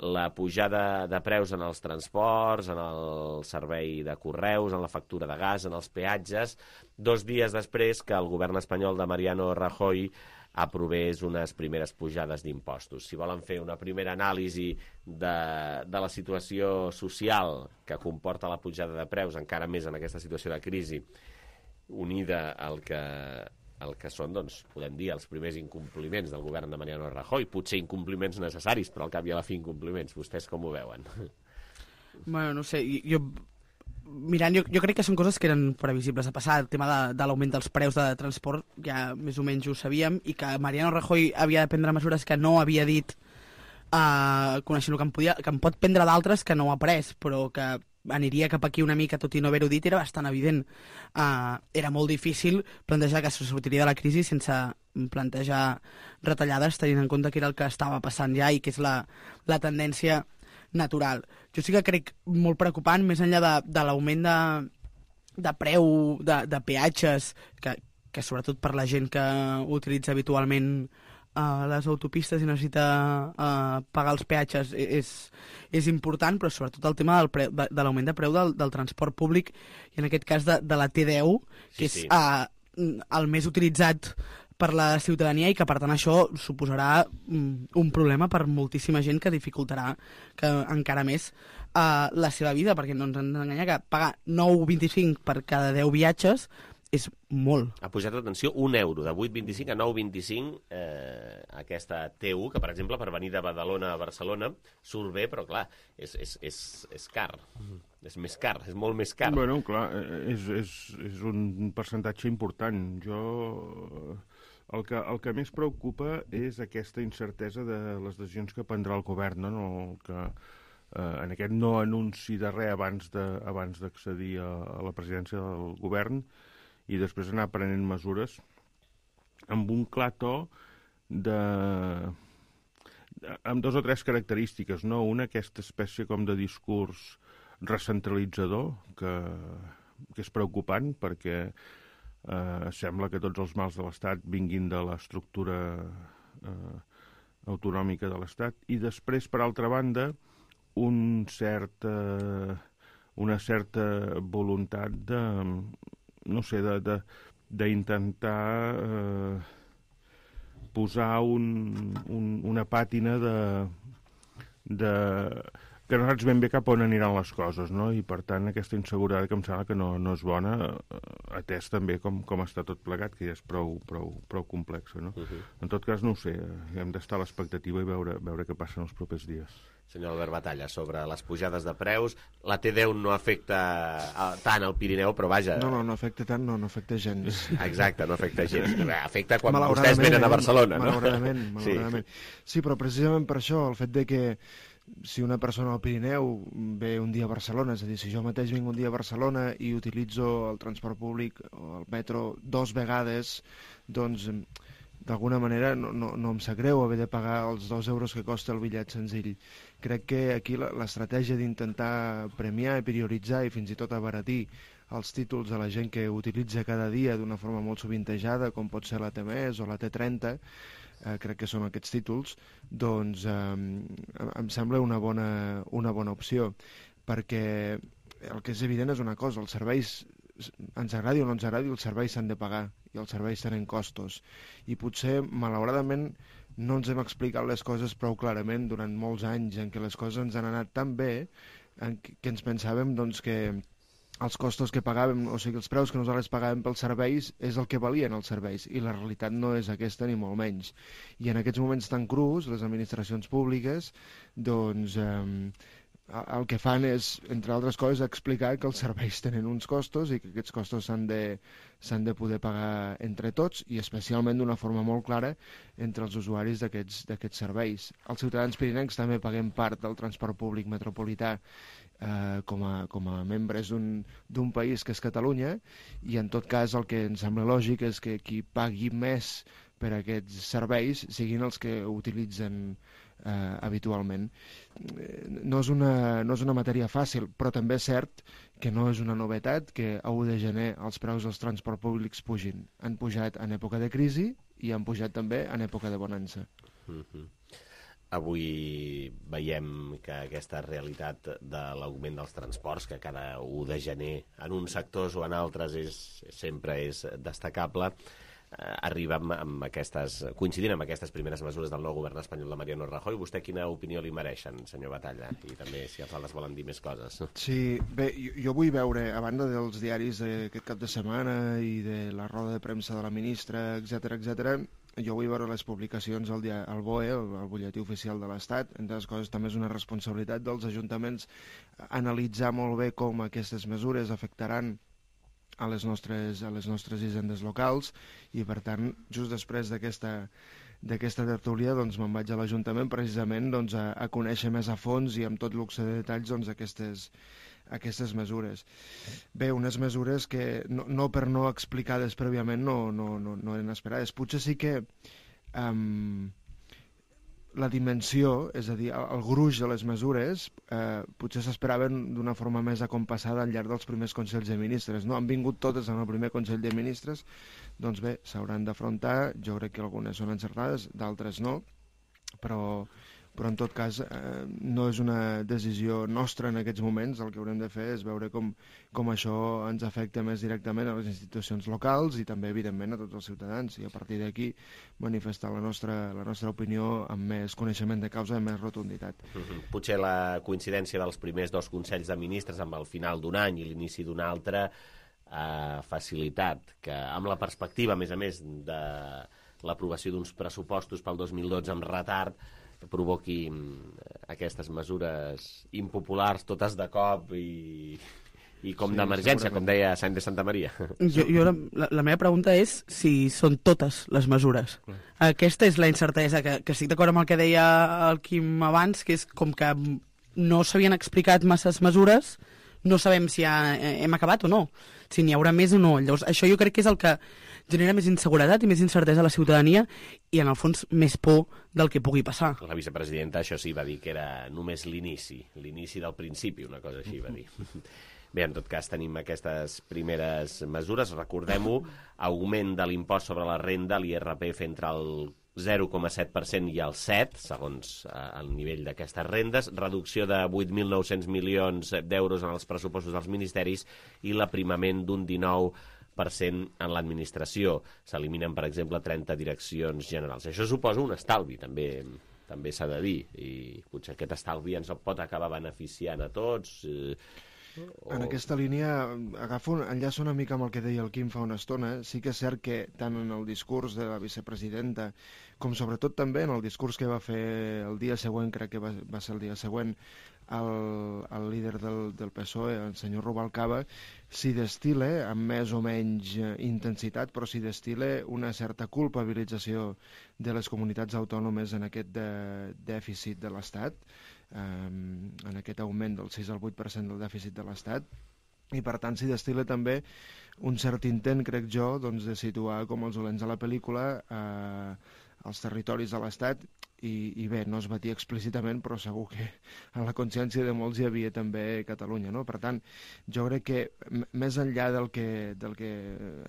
la pujada de preus en els transports, en el servei de correus, en la factura de gas, en els peatges, 2 dies després que el govern espanyol de Mariano Rajoy aprovés unes primeres pujades d'impostos. Si volen fer una primera anàlisi de la situació social que comporta la pujada de preus, encara més en aquesta situació de crisi, unida al que són, doncs, podem dir, els primers incompliments del govern de Mariano Rajoy, potser incompliments necessaris, però al cap i a la fi incompliments. Vostès com ho veuen? Bueno, no sé, jo crec que són coses que eren previsibles de passar. El tema de l'augment dels preus de transport ja més o menys ho sabíem, i que Mariano Rajoy havia de prendre mesures que no havia dit, coneixent el que en pot prendre d'altres que no ha pres, però que aniria cap aquí una mica, tot i no haver-ho dit, era bastant evident. Era molt difícil plantejar que se sortiria de la crisi sense plantejar retallades, tenint en compte que era el que estava passant ja i que és la tendència natural. Jo sí que crec molt preocupant, més enllà de l'augment de preu de peatges, que sobretot per la gent que utilitza habitualment les autopistes i necessita pagar els peatges és important, però sobretot el tema de l'augment de preu del transport públic, i en aquest cas de la T10, que és el més utilitzat per la ciutadania, i que per tant això suposarà un problema per moltíssima gent, que dificultarà encara més la seva vida, perquè no ens hem d'enganyar que pagar 9,25 per cada 10 viatges és molt. Ha pujat, atenció, €1, de 8,25 a 9,25, aquesta T1, que per exemple per venir de Badalona a Barcelona surt bé, però clar, és car. És més car, és molt més car. Bueno, clar, és un percentatge important. El que més preocupa és aquesta incertesa de les decisions que prendrà el govern, no? En aquest no anunci de res abans d'accedir a la presidència del govern, i després anar prenent mesures amb un clar to amb 2 o 3 característiques, no? Una, aquesta espècie com de discurs recentralitzador, que és preocupant, perquè sembla que tots els mals de l'Estat vinguin de l'estructura autonòmica de l'Estat, i després, per altra banda, una certa voluntat d'intentar posar una pàtina que no saps ben bé cap on aniran les coses, no? I per tant aquesta inseguretat que em sembla que no és bona, atès també com està tot plegat, que ja és prou complex, no? En tot cas, no ho sé, hem d'estar a l'expectativa i veure què passa en els propers dies. Senyor Albert Batalla, sobre les pujades de preus, la T10 no afecta tant al Pirineu, però vaja... No afecta tant, no afecta gens. Exacte, no afecta gens. Afecta quan vostès venen a Barcelona, no? Malauradament. Sí, però precisament per això, el fet de que si una persona al Pirineu ve un dia a Barcelona, és a dir, si jo mateix vinc un dia a Barcelona i utilitzo el transport públic o el metro 2 vegades, doncs d'alguna manera no em sap greu haver de pagar els 2 euros que costa el bitllet senzill. Crec que aquí l'estratègia d'intentar premiar i prioritzar i fins i tot abaratir els títols de la gent que utilitza cada dia d'una forma molt sovintejada, com pot ser la T-MES o la T30, crec que són aquests títols, doncs em sembla una bona opció, perquè el que és evident és una cosa, els serveis, ens agradi o no ens agradi, els serveis s'han de pagar i els serveis tenen costos, i potser malauradament no ens hem explicat les coses prou clarament durant molts anys en què les coses ens han anat tan bé que ens pensàvem doncs, que els costos que pagàvem, o sigui, els preus que nosaltres pagàvem pels serveis és el que valien els serveis, i la realitat no és aquesta ni molt menys. I en aquests moments tan crus, les administracions públiques, doncs, el que fan és, entre altres coses, explicar que els serveis tenen uns costos i que aquests costos s'han de poder pagar entre tots, i especialment d'una forma molt clara entre els usuaris d'aquests serveis. Els ciutadans pirinencs també paguem part del transport públic metropolità com a membres d'un país que és Catalunya, i en tot cas el que ens sembla lògic és que qui pagui més per aquests serveis siguin els que ho utilitzen habitualment. No és una matèria fàcil, però també és cert que no és una novetat que a 1 de gener els preus dels transports públics pugin. Han pujat en època de crisi i han pujat també en època de bonança. Avui veiem que aquesta realitat de l'augment dels transports, que cada 1 de gener en uns sectors o en altres sempre és destacable, arriba coincidint amb aquestes primeres mesures del nou govern espanyol de Mariano Rajoy. Vostè quina opinió li mereixen, senyor Batalla? I també si els altres volen dir més coses. Sí, bé, jo vull veure, a banda dels diaris d'aquest cap de setmana i de la roda de premsa de la ministra, etc., jo vull veure les publicacions al BOE, el butlletí oficial de l'Estat. Entre les coses, també és una responsabilitat dels ajuntaments analitzar molt bé com aquestes mesures afectaran a les nostres hisendes locals, i per tant, just després d'aquesta tertúlia, doncs me'n vaig a l'Ajuntament precisament doncs, a conèixer més a fons i amb tot luxe de detalls doncs, aquestes mesures. Bé, unes mesures que no per no explicades prèviament no eren esperades. Potser sí que la dimensió, és a dir, el gruix de les mesures, potser s'esperaven d'una forma més acompassada al llarg dels primers Consells de Ministres. No han vingut totes en el primer Consell de Ministres, doncs bé, s'hauran d'afrontar. Jo crec que algunes són encertades, d'altres no, però en tot cas no és una decisió nostra en aquests moments. El que haurem de fer és veure com això ens afecta més directament a les institucions locals i també, evidentment, a tots els ciutadans, i a partir d'aquí manifestar la nostra opinió amb més coneixement de causa i amb més rotunditat. Potser la coincidència dels primers 2 Consells de Ministres amb el final d'un any i l'inici d'un altre ha facilitat que, amb la perspectiva, a més de l'aprovació d'uns pressupostos pel 2012 amb retard, provoqui aquestes mesures impopulars totes de cop i com d'emergència, com deia Sant de Santa Maria. La meva pregunta és si són totes les mesures. Aquesta és la incertesa, que estic d'acord amb el que deia el Quim abans, que és com que no s'havien explicat masses mesures, no sabem si hem acabat o no, si n'hi haurà més o no. Llavors, això jo crec que és el que genera més inseguretat i més incertesa a la ciutadania i, en el fons, més por del que pugui passar. La vicepresidenta, això sí, va dir que era només l'inici del principi, una cosa així va dir. Bé, en tot cas, tenim aquestes primeres mesures. Recordem-ho, augment de l'impost sobre la renda, l'IRPF, entre el 0,7% i el 7%, segons el nivell d'aquestes rendes, reducció de 8.900 milions d'euros en els pressupostos dels ministeris i l'aprimament d'un 19% en l'administració. S'eliminen, per exemple, 30 direccions generals. Això suposa un estalvi, també s'ha de dir, i potser aquest estalvi ens pot acabar beneficiant a tots. En aquesta línia, enllaço una mica amb el que deia el Quim fa una estona. Sí que és cert que tant en el discurs de la vicepresidenta com sobretot també en el discurs que va fer el dia següent, crec que va ser el dia següent, el líder del PSOE, el senyor Rubalcaba, s'hi destil·la amb més o menys intensitat, però s'hi destil·la una certa culpabilització de les comunitats autònomes en aquest dèficit de l'Estat, en aquest augment del 6 al 8% del dèficit de l'Estat, i per tant s'hi destil·la també un cert intent, crec jo, doncs, de situar com els dolents de la pel·lícula els territoris de l'Estat i bé, no es batia explícitament, però segur que en la consciència de molts hi havia també Catalunya, no? Per tant, jo crec que més enllà del que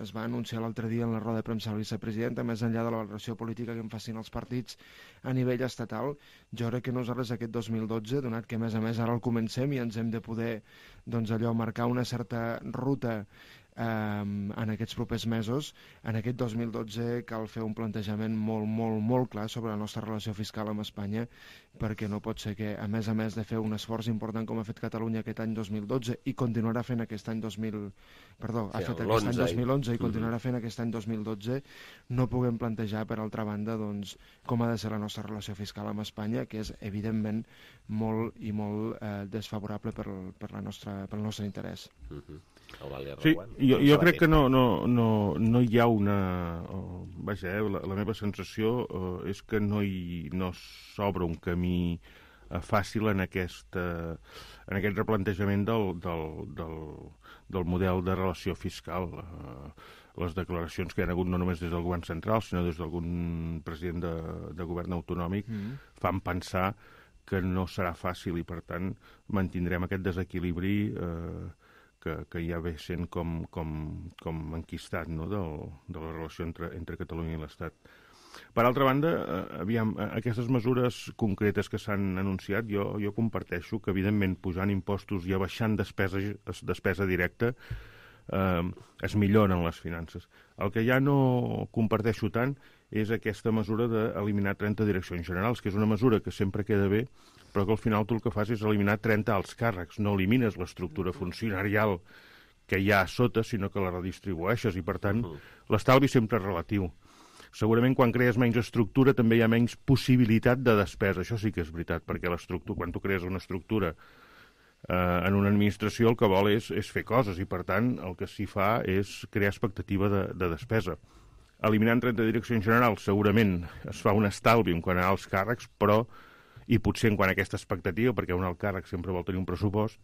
es va anunciar l'altre dia en la roda de premsa de la vicepresidenta, més enllà de la valoració política que en facin els partits a nivell estatal, jo crec que nosaltres aquest 2012, donat que a més ara el comencem i ens hem de poder doncs allò marcar una certa ruta en aquests propers mesos, en aquest 2012 cal fer un plantejament molt clar sobre la nostra relació fiscal amb Espanya, perquè no pot ser que, a més de fer un esforç important com ha fet Catalunya aquest any 2012 i continuarà fent aquest any 2011 i continuarà fent aquest any 2012, no puguem plantejar, per altra banda, doncs, com ha de ser la nostra relació fiscal amb Espanya, que és, evidentment, molt desfavorable pel nostre interès. Sí, jo crec que no hi ha una... Vaja, la meva sensació és que no s'obre un camí fàcil en aquest replantejament del model de relació fiscal. Les declaracions que hi ha hagut no només des del govern central, sinó des d'algun president de govern autonòmic fan pensar que no serà fàcil i, per tant, mantindrem aquest desequilibri que ja ve sent com enquistat, no?, de la relació entre Catalunya i l'Estat. Per altra banda, aquestes mesures concretes que s'han anunciat, jo comparteixo que, evidentment, pujant impostos i abaixant despesa directa es milloren les finances. El que ja no comparteixo tant és aquesta mesura d'eliminar 30 direccions generals, que és una mesura que sempre queda bé, però que al final tu el que fas és eliminar 30 alts càrrecs, no elimines l'estructura funcionarial que hi ha a sota, sinó que la redistribueixes, i per tant l'estalvi sempre és relatiu. Segurament quan crees menys estructura també hi ha menys possibilitat de despesa, això sí que és veritat, perquè quan tu crees una estructura en una administració el que vol és fer coses, i per tant el que s'hi fa és crear expectativa de despesa. Eliminant 30 direccions generals segurament es fa un estalvi en quant a alts càrrecs, però i potser en quant a aquesta expectativa, perquè un alt càrrec sempre vol tenir un pressupost,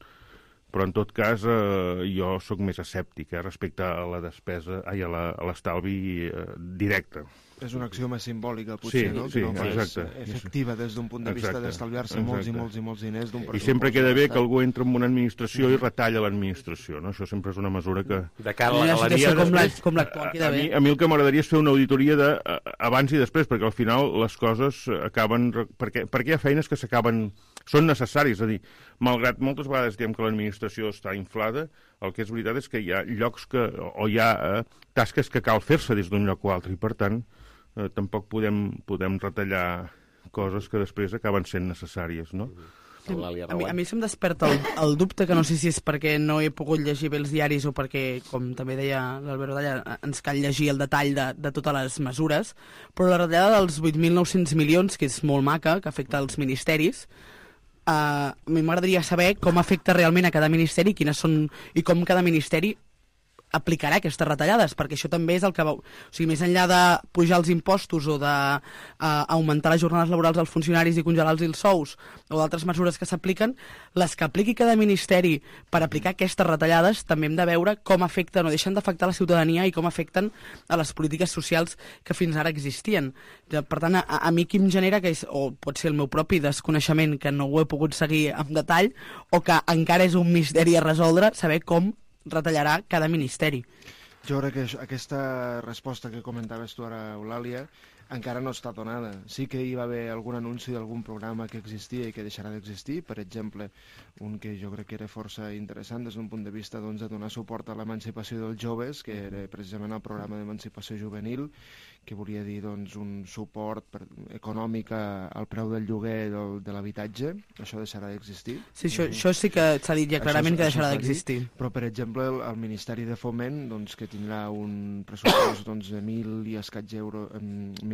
però en tot cas jo sóc més escèptic respecte a la despesa, a l'estalvi directe. És una acció més simbòlica, potser, no? Sí, no exacte. Efectiva des d'un punt de vista d'estalviar-se molts diners d'un pressupost. I sempre queda bé que algú entra en una administració i retalla l'administració, no? Això sempre és una mesura que... De cara a la galeria... Com l'actual queda bé. A mi el que m'agradaria és fer una auditoria d'abans i després, perquè al final les coses acaben... Perquè hi ha feines que són necessàries, és a dir, malgrat moltes vegades diem que l'administració està inflada, el que és veritat és que hi ha llocs o hi ha tasques que cal fer-se des d'un lloc o altre, i per tant tampoc podem retallar coses que després acaben sent necessàries, no? A mi se'm desperta el dubte, que no sé si és perquè no he pogut llegir bé els diaris o perquè, com també deia l'Albert Dalla, ens cal llegir el detall de totes les mesures, però la retallada dels 8.900 milions, que és molt maca, que afecta els ministeris, a mi m'agradaria saber com afecta realment a cada ministeri, quines són i com cada ministeri aplicarà aquestes retallades, perquè això també és el que o sigui, més enllà de pujar els impostos o d'augmentar les jornades laborals als funcionaris i congelar-los els sous o d'altres mesures que s'apliquen, les que apliqui cada ministeri per aplicar aquestes retallades també hem de veure com afecten o deixen d'afectar la ciutadania i com afecten a les polítiques socials que fins ara existien. Per tant, a mi qui em genera, que és, o pot ser el meu propi desconeixement, que no ho he pogut seguir en detall, o que encara és un misteri a resoldre, saber com retallarà cada ministeri. Jo crec que aquesta resposta que comentaves tu ara, Eulàlia, encara no està donada. Sí que hi va haver algun anunci d'algun programa que existia i que deixarà d'existir, per exemple, un que jo crec que era força interessant des d'un punt de vista de donar suport a l'emancipació dels joves, que era precisament el programa d'emancipació juvenil, que volia dir un suport econòmic al preu del lloguer de l'habitatge. Això deixarà d'existir. Sí, això sí que s'ha dit ja clarament que deixarà d'existir. Però, per exemple, el Ministeri de Foment, que tindrà un pressupost de 1.000 i escaig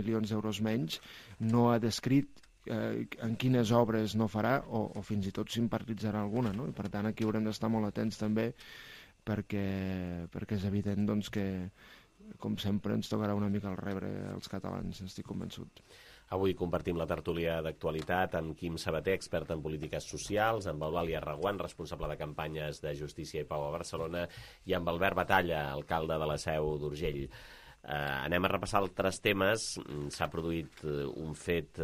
milions d'euros menys, no ha descrit en quines obres no farà o fins i tot s'imparitzarà alguna, no? I per tant aquí haurem d'estar molt atents també perquè és evident que com sempre ens tocarà una mica el rebre als catalans, estic convençut. Avui compartim la tertúlia d'actualitat amb Quim Sabater, expert en polítiques socials, amb Eulàlia Reguant, responsable de campanyes de Justícia i Pau a Barcelona, i amb Albert Batalla, alcalde de la Seu d'Urgell. Anem a repassar altres temes. S'ha produït un fet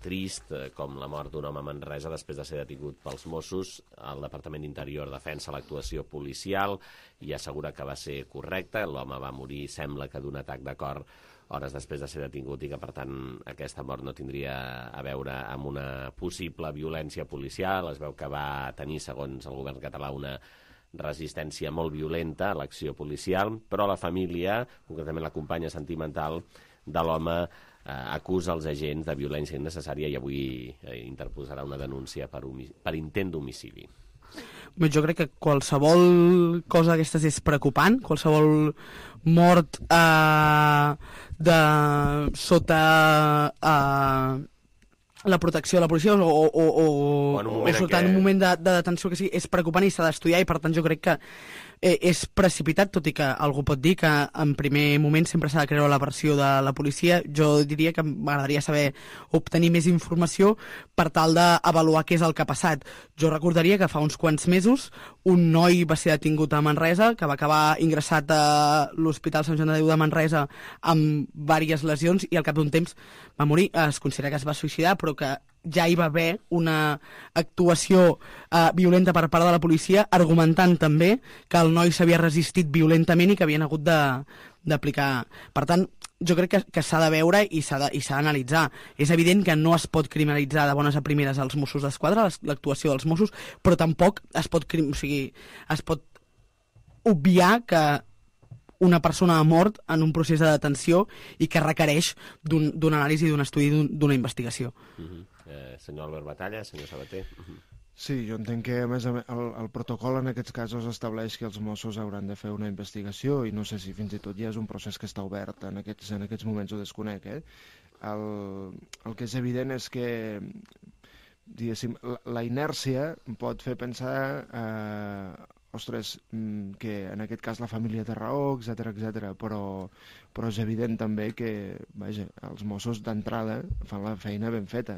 trist, com la mort d'un home a Manresa després de ser detingut pels Mossos. El Departament d'Interior defensa l'actuació policial i assegura que va ser correcta. L'home va morir, sembla que d'un atac de cor, hores després de ser detingut, i que, per tant, aquesta mort no tindria a veure amb una possible violència policial. Es veu que va tenir, segons el govern català, una resistència molt violenta a l'acció policial, però la família, concretament la companya sentimental de l'home, acusa els agents de violència innecessària i avui interposarà una denúncia per intent d'homicidi. Jo crec que qualsevol cosa d'aquestes és preocupant, qualsevol mort sota la protecció de la policia o sota un moment de detenció que sí, és preocupant i s'ha d'estudiar, i per tant jo crec que és precipitat, tot i que algú pot dir que en primer moment sempre s'ha de creure la versió de la policia. Jo diria que m'agradaria obtenir més informació per tal d'avaluar què és el que ha passat. Jo recordaria que fa uns quants mesos un noi va ser detingut a Manresa, que va acabar ingressat a l'Hospital Sant Joan de Déu de Manresa amb diverses lesions, i al cap d'un temps va morir. Es considera que es va suïcidar, però que ja hi va haver una actuació violenta per part de la policia, argumentant també que el noi s'havia resistit violentament i que havien hagut d'aplicar. Per tant, jo crec que s'ha de veure i s'ha d'analitzar. És evident que no es pot criminalitzar de bones a primeres els Mossos d'Esquadra, l'actuació dels Mossos, però tampoc es pot obviar que una persona ha mort en un procés de detenció i que requereix d'un anàlisi, d'un estudi, d'una investigació. Senyor Albert Batalla, senyor Sabater. Sí, jo entenc que a més el protocol en aquests casos estableix que els Mossos hauran de fer una investigació, i no sé si fins i tot ja és un procés que està obert en aquests moments, ho desconec. El que és evident és que, diguéssim, la inèrcia pot fer pensar ostres, que en aquest cas la família té raó, etc, però és evident també que, vaja, els Mossos d'entrada fan la feina ben feta,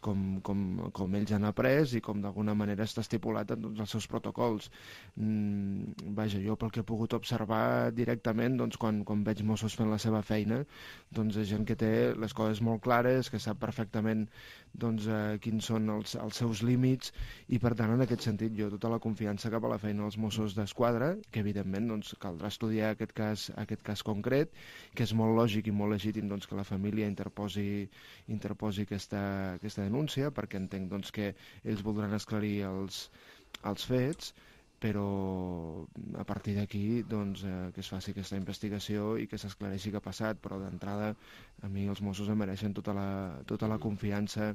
com ells han après i com d'alguna manera està estipulat en tots els seus protocols. Vaja, jo pel que he pogut observar directament, doncs, quan veig Mossos fent la seva feina, doncs és gent que té les coses molt clares, que sap perfectament doncs, quins són els seus límits, i per tant en aquest sentit jo tota la confiança cap a la feina dels Mossos d'Esquadra, que evidentment doncs, caldrà estudiar aquest cas concret, que és molt lògic i molt legítim doncs, que la família interposi aquesta denúncia, perquè entenc doncs, que ells voldran esclarir els fets, però a partir d'aquí doncs, que es faci aquesta investigació i que s'esclareixi què ha passat. Però d'entrada a mi els Mossos em mereixen tota la confiança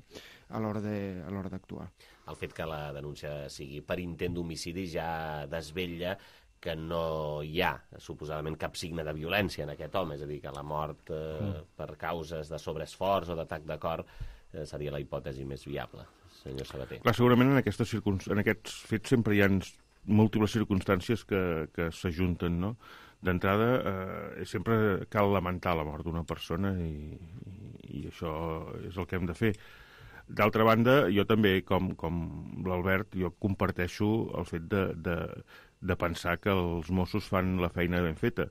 a l'hora d'actuar. El fet que la denúncia sigui per intent d'homicidi ja desvetlla que no hi ha, suposadament, cap signe de violència en aquest home, és a dir, que la mort per causes de sobreesforç o d'atac de cor seria la hipòtesi més viable. Senyor Sabater. Clar, segurament en aquests fets sempre hi ha múltiples circumstàncies que s'ajunten, no? D'entrada, sempre cal lamentar la mort d'una persona i això és el que hem de fer. D'altra banda, jo també, com l'Albert, jo comparteixo el fet de pensar que els Mossos fan la feina ben feta.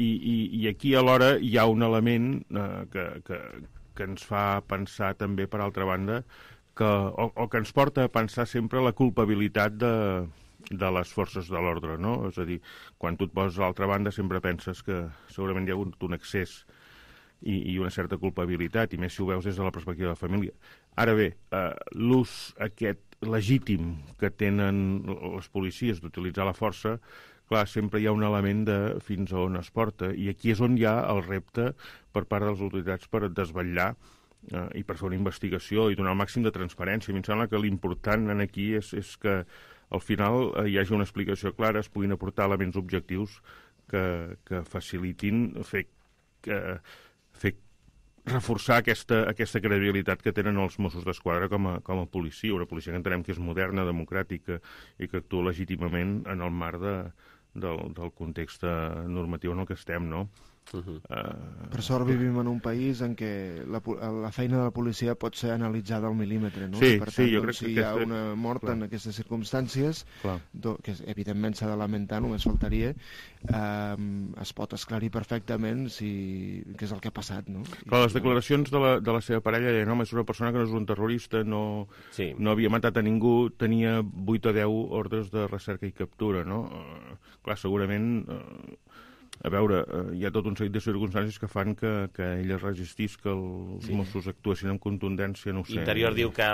I aquí alhora hi ha un element que ens fa pensar també, per altra banda, o que ens porta a pensar sempre la culpabilitat de les forces de l'ordre, no? És a dir, quan tu et poses a l'altra banda sempre penses que segurament hi ha hagut un excés i una certa culpabilitat, i més si ho veus des de la perspectiva de la família. Ara bé, l'ús aquest legítim que tenen les policies d'utilitzar la força, clar, sempre hi ha un element de fins a on es porta, i aquí és on hi ha el repte per part de les autoritats per desvetllar i per fer una investigació i donar el màxim de transparència. A mi em sembla que l'important aquí és que al final hi hagi una explicació clara, es puguin aportar elements objectius que facilitin reforçar aquesta credibilitat que tenen els Mossos d'Esquadra com a policia, una policia que entenem que és moderna, democràtica i que actua legítimament en el marc del context normatiu en el que estem, no? Per sort vivim en un país en què la feina de la policia pot ser analitzada al mil·límetre, no? Sí, per tant, jo crec que si hi ha una mort en aquestes circumstàncies, que evidentment s'ha de lamentar, només faltaria, es pot esclarir perfectament què és el que ha passat, no? Clar, les declaracions de la seva parella deien, home, és una persona que no és un terrorista, no havia matat a ningú, tenia 8 o 10 ordres de recerca i captura, no? Clar, segurament... A veure, hi ha tot un seguit de circumstàncies que fan que ell es resistís, que els Mossos actuessin amb contundència, no ho sé. Interior diu que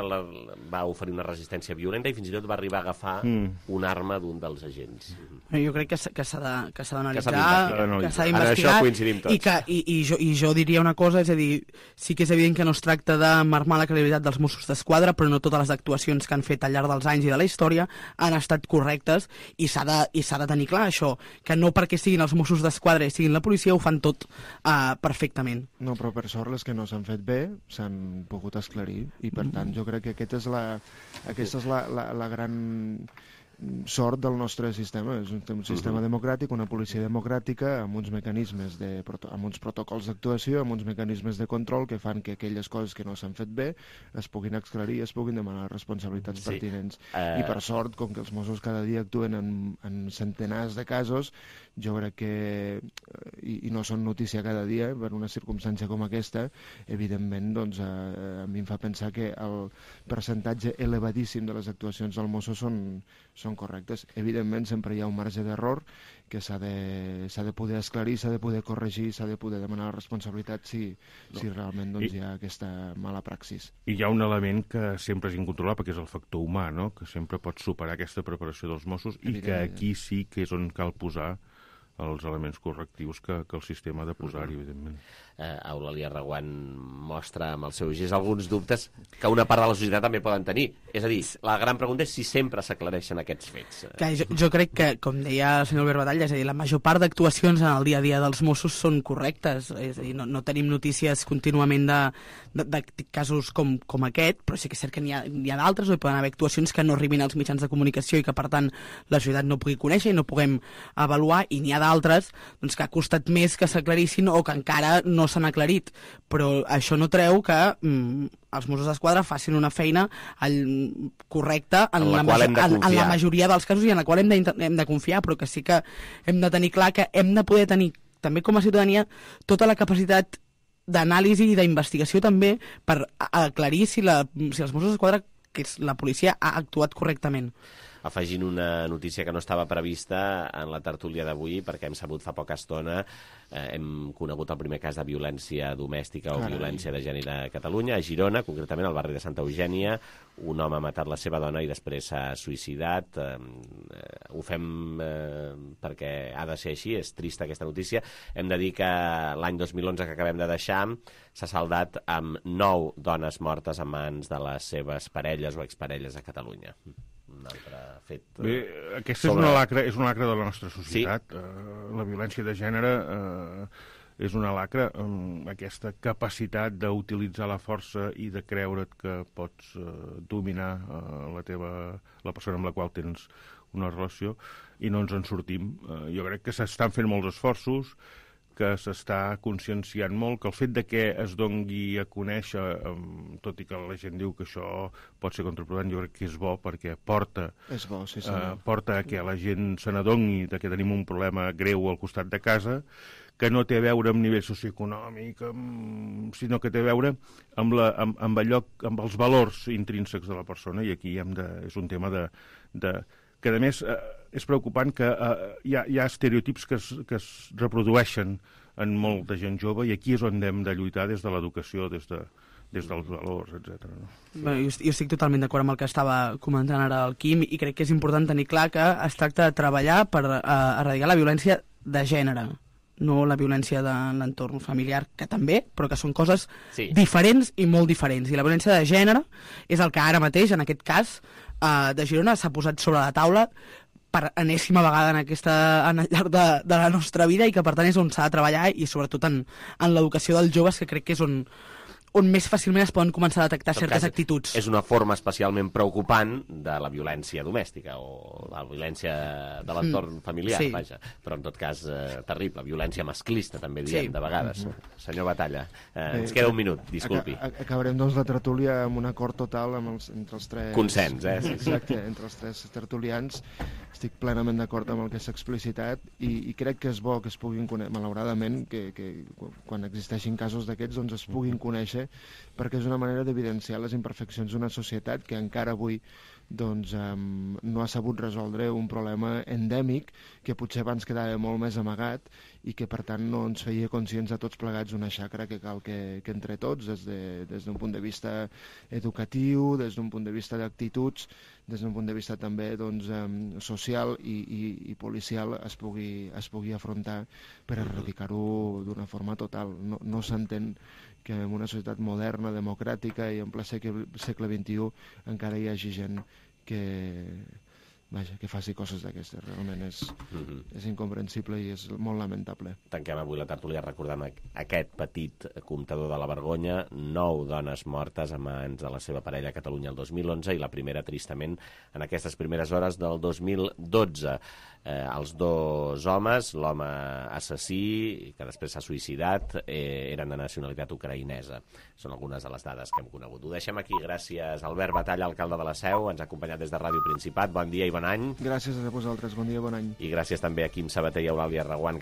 va oferir una resistència violenta i fins i tot va arribar a agafar una arma d'un dels agents. Jo crec que s'ha d'analitzar, que s'ha d'investigar, i jo diria una cosa, és a dir, sí que és evident que no es tracta de marmar la credibilitat dels Mossos d'Esquadra, però no totes les actuacions que han fet al llarg dels anys i de la història han estat correctes, i s'ha de tenir clar això, que no perquè siguin els Mossos d'Esquadra i siguin la policia ho fan tot perfectament. No, però per sort les que no s'han fet bé s'han pogut esclarir, i per tant jo crec que aquesta és la gran sort del nostre sistema. És un sistema democràtic, una policia democràtica, amb uns mecanismes, amb uns protocols d'actuació, amb uns mecanismes de control que fan que aquelles coses que no s'han fet bé es puguin esclarir i es puguin demanar responsabilitats pertinents. I per sort, com que els Mossos cada dia actuen en centenars de casos, jo crec que, i no són notícia cada dia, per una circumstància com aquesta, evidentment, doncs, a mi em fa pensar que el percentatge elevadíssim de les actuacions del Mosso són correctes. Evidentment, sempre hi ha un marge d'error que s'ha de poder esclarir, s'ha de poder corregir, s'ha de poder demanar la responsabilitat si realment hi ha aquesta mala praxis. I hi ha un element que sempre és incontrolable, que és el factor humà, no? Que sempre pot superar aquesta preparació dels Mossos i que aquí sí que és on cal posar els elements correctius que el sistema ha de posar-hi, evidentment. Eulàlia Reguant mostra amb el seu gest alguns dubtes que una part de la societat també poden tenir. És a dir, la gran pregunta és si sempre s'aclareixen aquests fets. Jo crec que, com deia el senyor Albert Batalla, és a dir, la major part d'actuacions en el dia a dia dels Mossos són correctes. És a dir, no tenim notícies contínuament de casos com aquest, però sí que és cert que n'hi ha d'altres, o hi poden haver actuacions que no arribin als mitjans de comunicació i que, per tant, la societat no pugui conèixer i no puguem avaluar, i n'hi ha d'altres doncs, que ha costat més que s'aclarissin o que encara no s'han aclarit, però això no treu que els Mossos d'Esquadra facin una feina correcta en la majoria dels casos i en la qual hem de confiar, però que sí que hem de tenir clar que hem de poder tenir, també com a ciutadania, tota la capacitat d'anàlisi i d'investigació també per aclarir si els Mossos d'Esquadra, que és la policia, ha actuat correctament. Afegint una notícia que no estava prevista en la tertúlia d'avui, perquè hem sabut fa poca estona, hem conegut el primer cas de violència domèstica o violència de gènere a Catalunya, a Girona, concretament al barri de Santa Eugènia. Un home ha matat la seva dona i després s'ha suïcidat. Ho fem perquè ha de ser així, és trista aquesta notícia. Hem de dir que l'any 2011 que acabem de deixar s'ha saldat amb 9 dones mortes a mans de les seves parelles o exparelles a Catalunya. Un altre fet... Bé, aquesta és una lacra de la nostra societat. La violència de gènere és una lacra, aquesta capacitat d'utilitzar la força i de creure't que pots dominar la persona amb la qual tens una relació, i no ens en sortim. Jo crec que s'estan fent molts esforços, que s'està conscienciant molt, que el fet de que es dongui a conèixer, tot i que la gent diu que això pot ser contraproduent, jo crec que és bo, perquè porta a que la gent se n'adongui que tenim un problema greu al costat de casa, que no té a veure amb nivell socioeconòmic, sinó que té a veure amb els valors intrínsecs de la persona, i aquí és un tema que a més és preocupant que hi ha estereotips que es reprodueixen en molta gent jove, i aquí és on hem de lluitar des de l'educació, des dels valors, etc. Bé, jo estic totalment d'acord amb el que estava comentant ara el Quim, i crec que és important tenir clar que es tracta de treballar per erradicar la violència de gènere, no la violència de l'entorn familiar, que també, però que són coses diferents i molt diferents. I la violència de gènere és el que ara mateix, en aquest cas de Girona, s'ha posat sobre la taula per enèsima vegada al llarg de la nostra vida, i que per tant és on s'ha de treballar, i sobretot en l'educació dels joves, que crec que és on on més fàcilment es poden començar a detectar certes actituds. És una forma especialment preocupant de la violència domèstica o la violència de l'entorn familiar, vaja. Però en tot cas, terrible. Violència masclista, també diem, de vegades. Senyor Batalla, ens queda un minut, disculpi. Acabarem, doncs, la tertúlia amb un acord total entre els tres... Consens, Exacte, entre els tres tertulians. Estic plenament d'acord amb el que s'ha explicitat i crec que és bo que es puguin conèixer, malauradament, que quan existeixin casos d'aquests doncs es puguin conèixer, perquè és una manera d'evidenciar les imperfeccions d'una societat que encara avui doncs, no ha sabut resoldre un problema endèmic que potser abans quedava molt més amagat i que per tant no ens feia conscients a tots plegats una xacra que cal que entre tots, des d'un punt de vista educatiu, des d'un punt de vista d'actituds, des d'un punt de vista també doncs, social i policial es pugui afrontar per erradicar-ho d'una forma total. No s'entén que en una societat moderna, democràtica i en ple segle XXI encara hi hagi gent que faci coses d'aquestes. Realment és incomprensible i és molt lamentable. Tanquem avui la tertúlia recordant aquest petit comptador de la vergonya, 9 dones mortes a mans de la seva parella a Catalunya el 2011 i la primera, tristament, en aquestes primeres hores del 2012. Els 2 homes, l'home assassí, que després s'ha suïcidat, eren de nacionalitat ucraïnesa. Són algunes de les dades que hem conegut. Ho deixem aquí. Gràcies, Albert Batalla, alcalde de la Seu. Ens ha acompanyat des de Ràdio Principat. Bon dia i bon any. Gràcies a vosaltres. Bon dia i bon any. I gràcies també a Quim Sabater i Eulàlia Reguant, que ens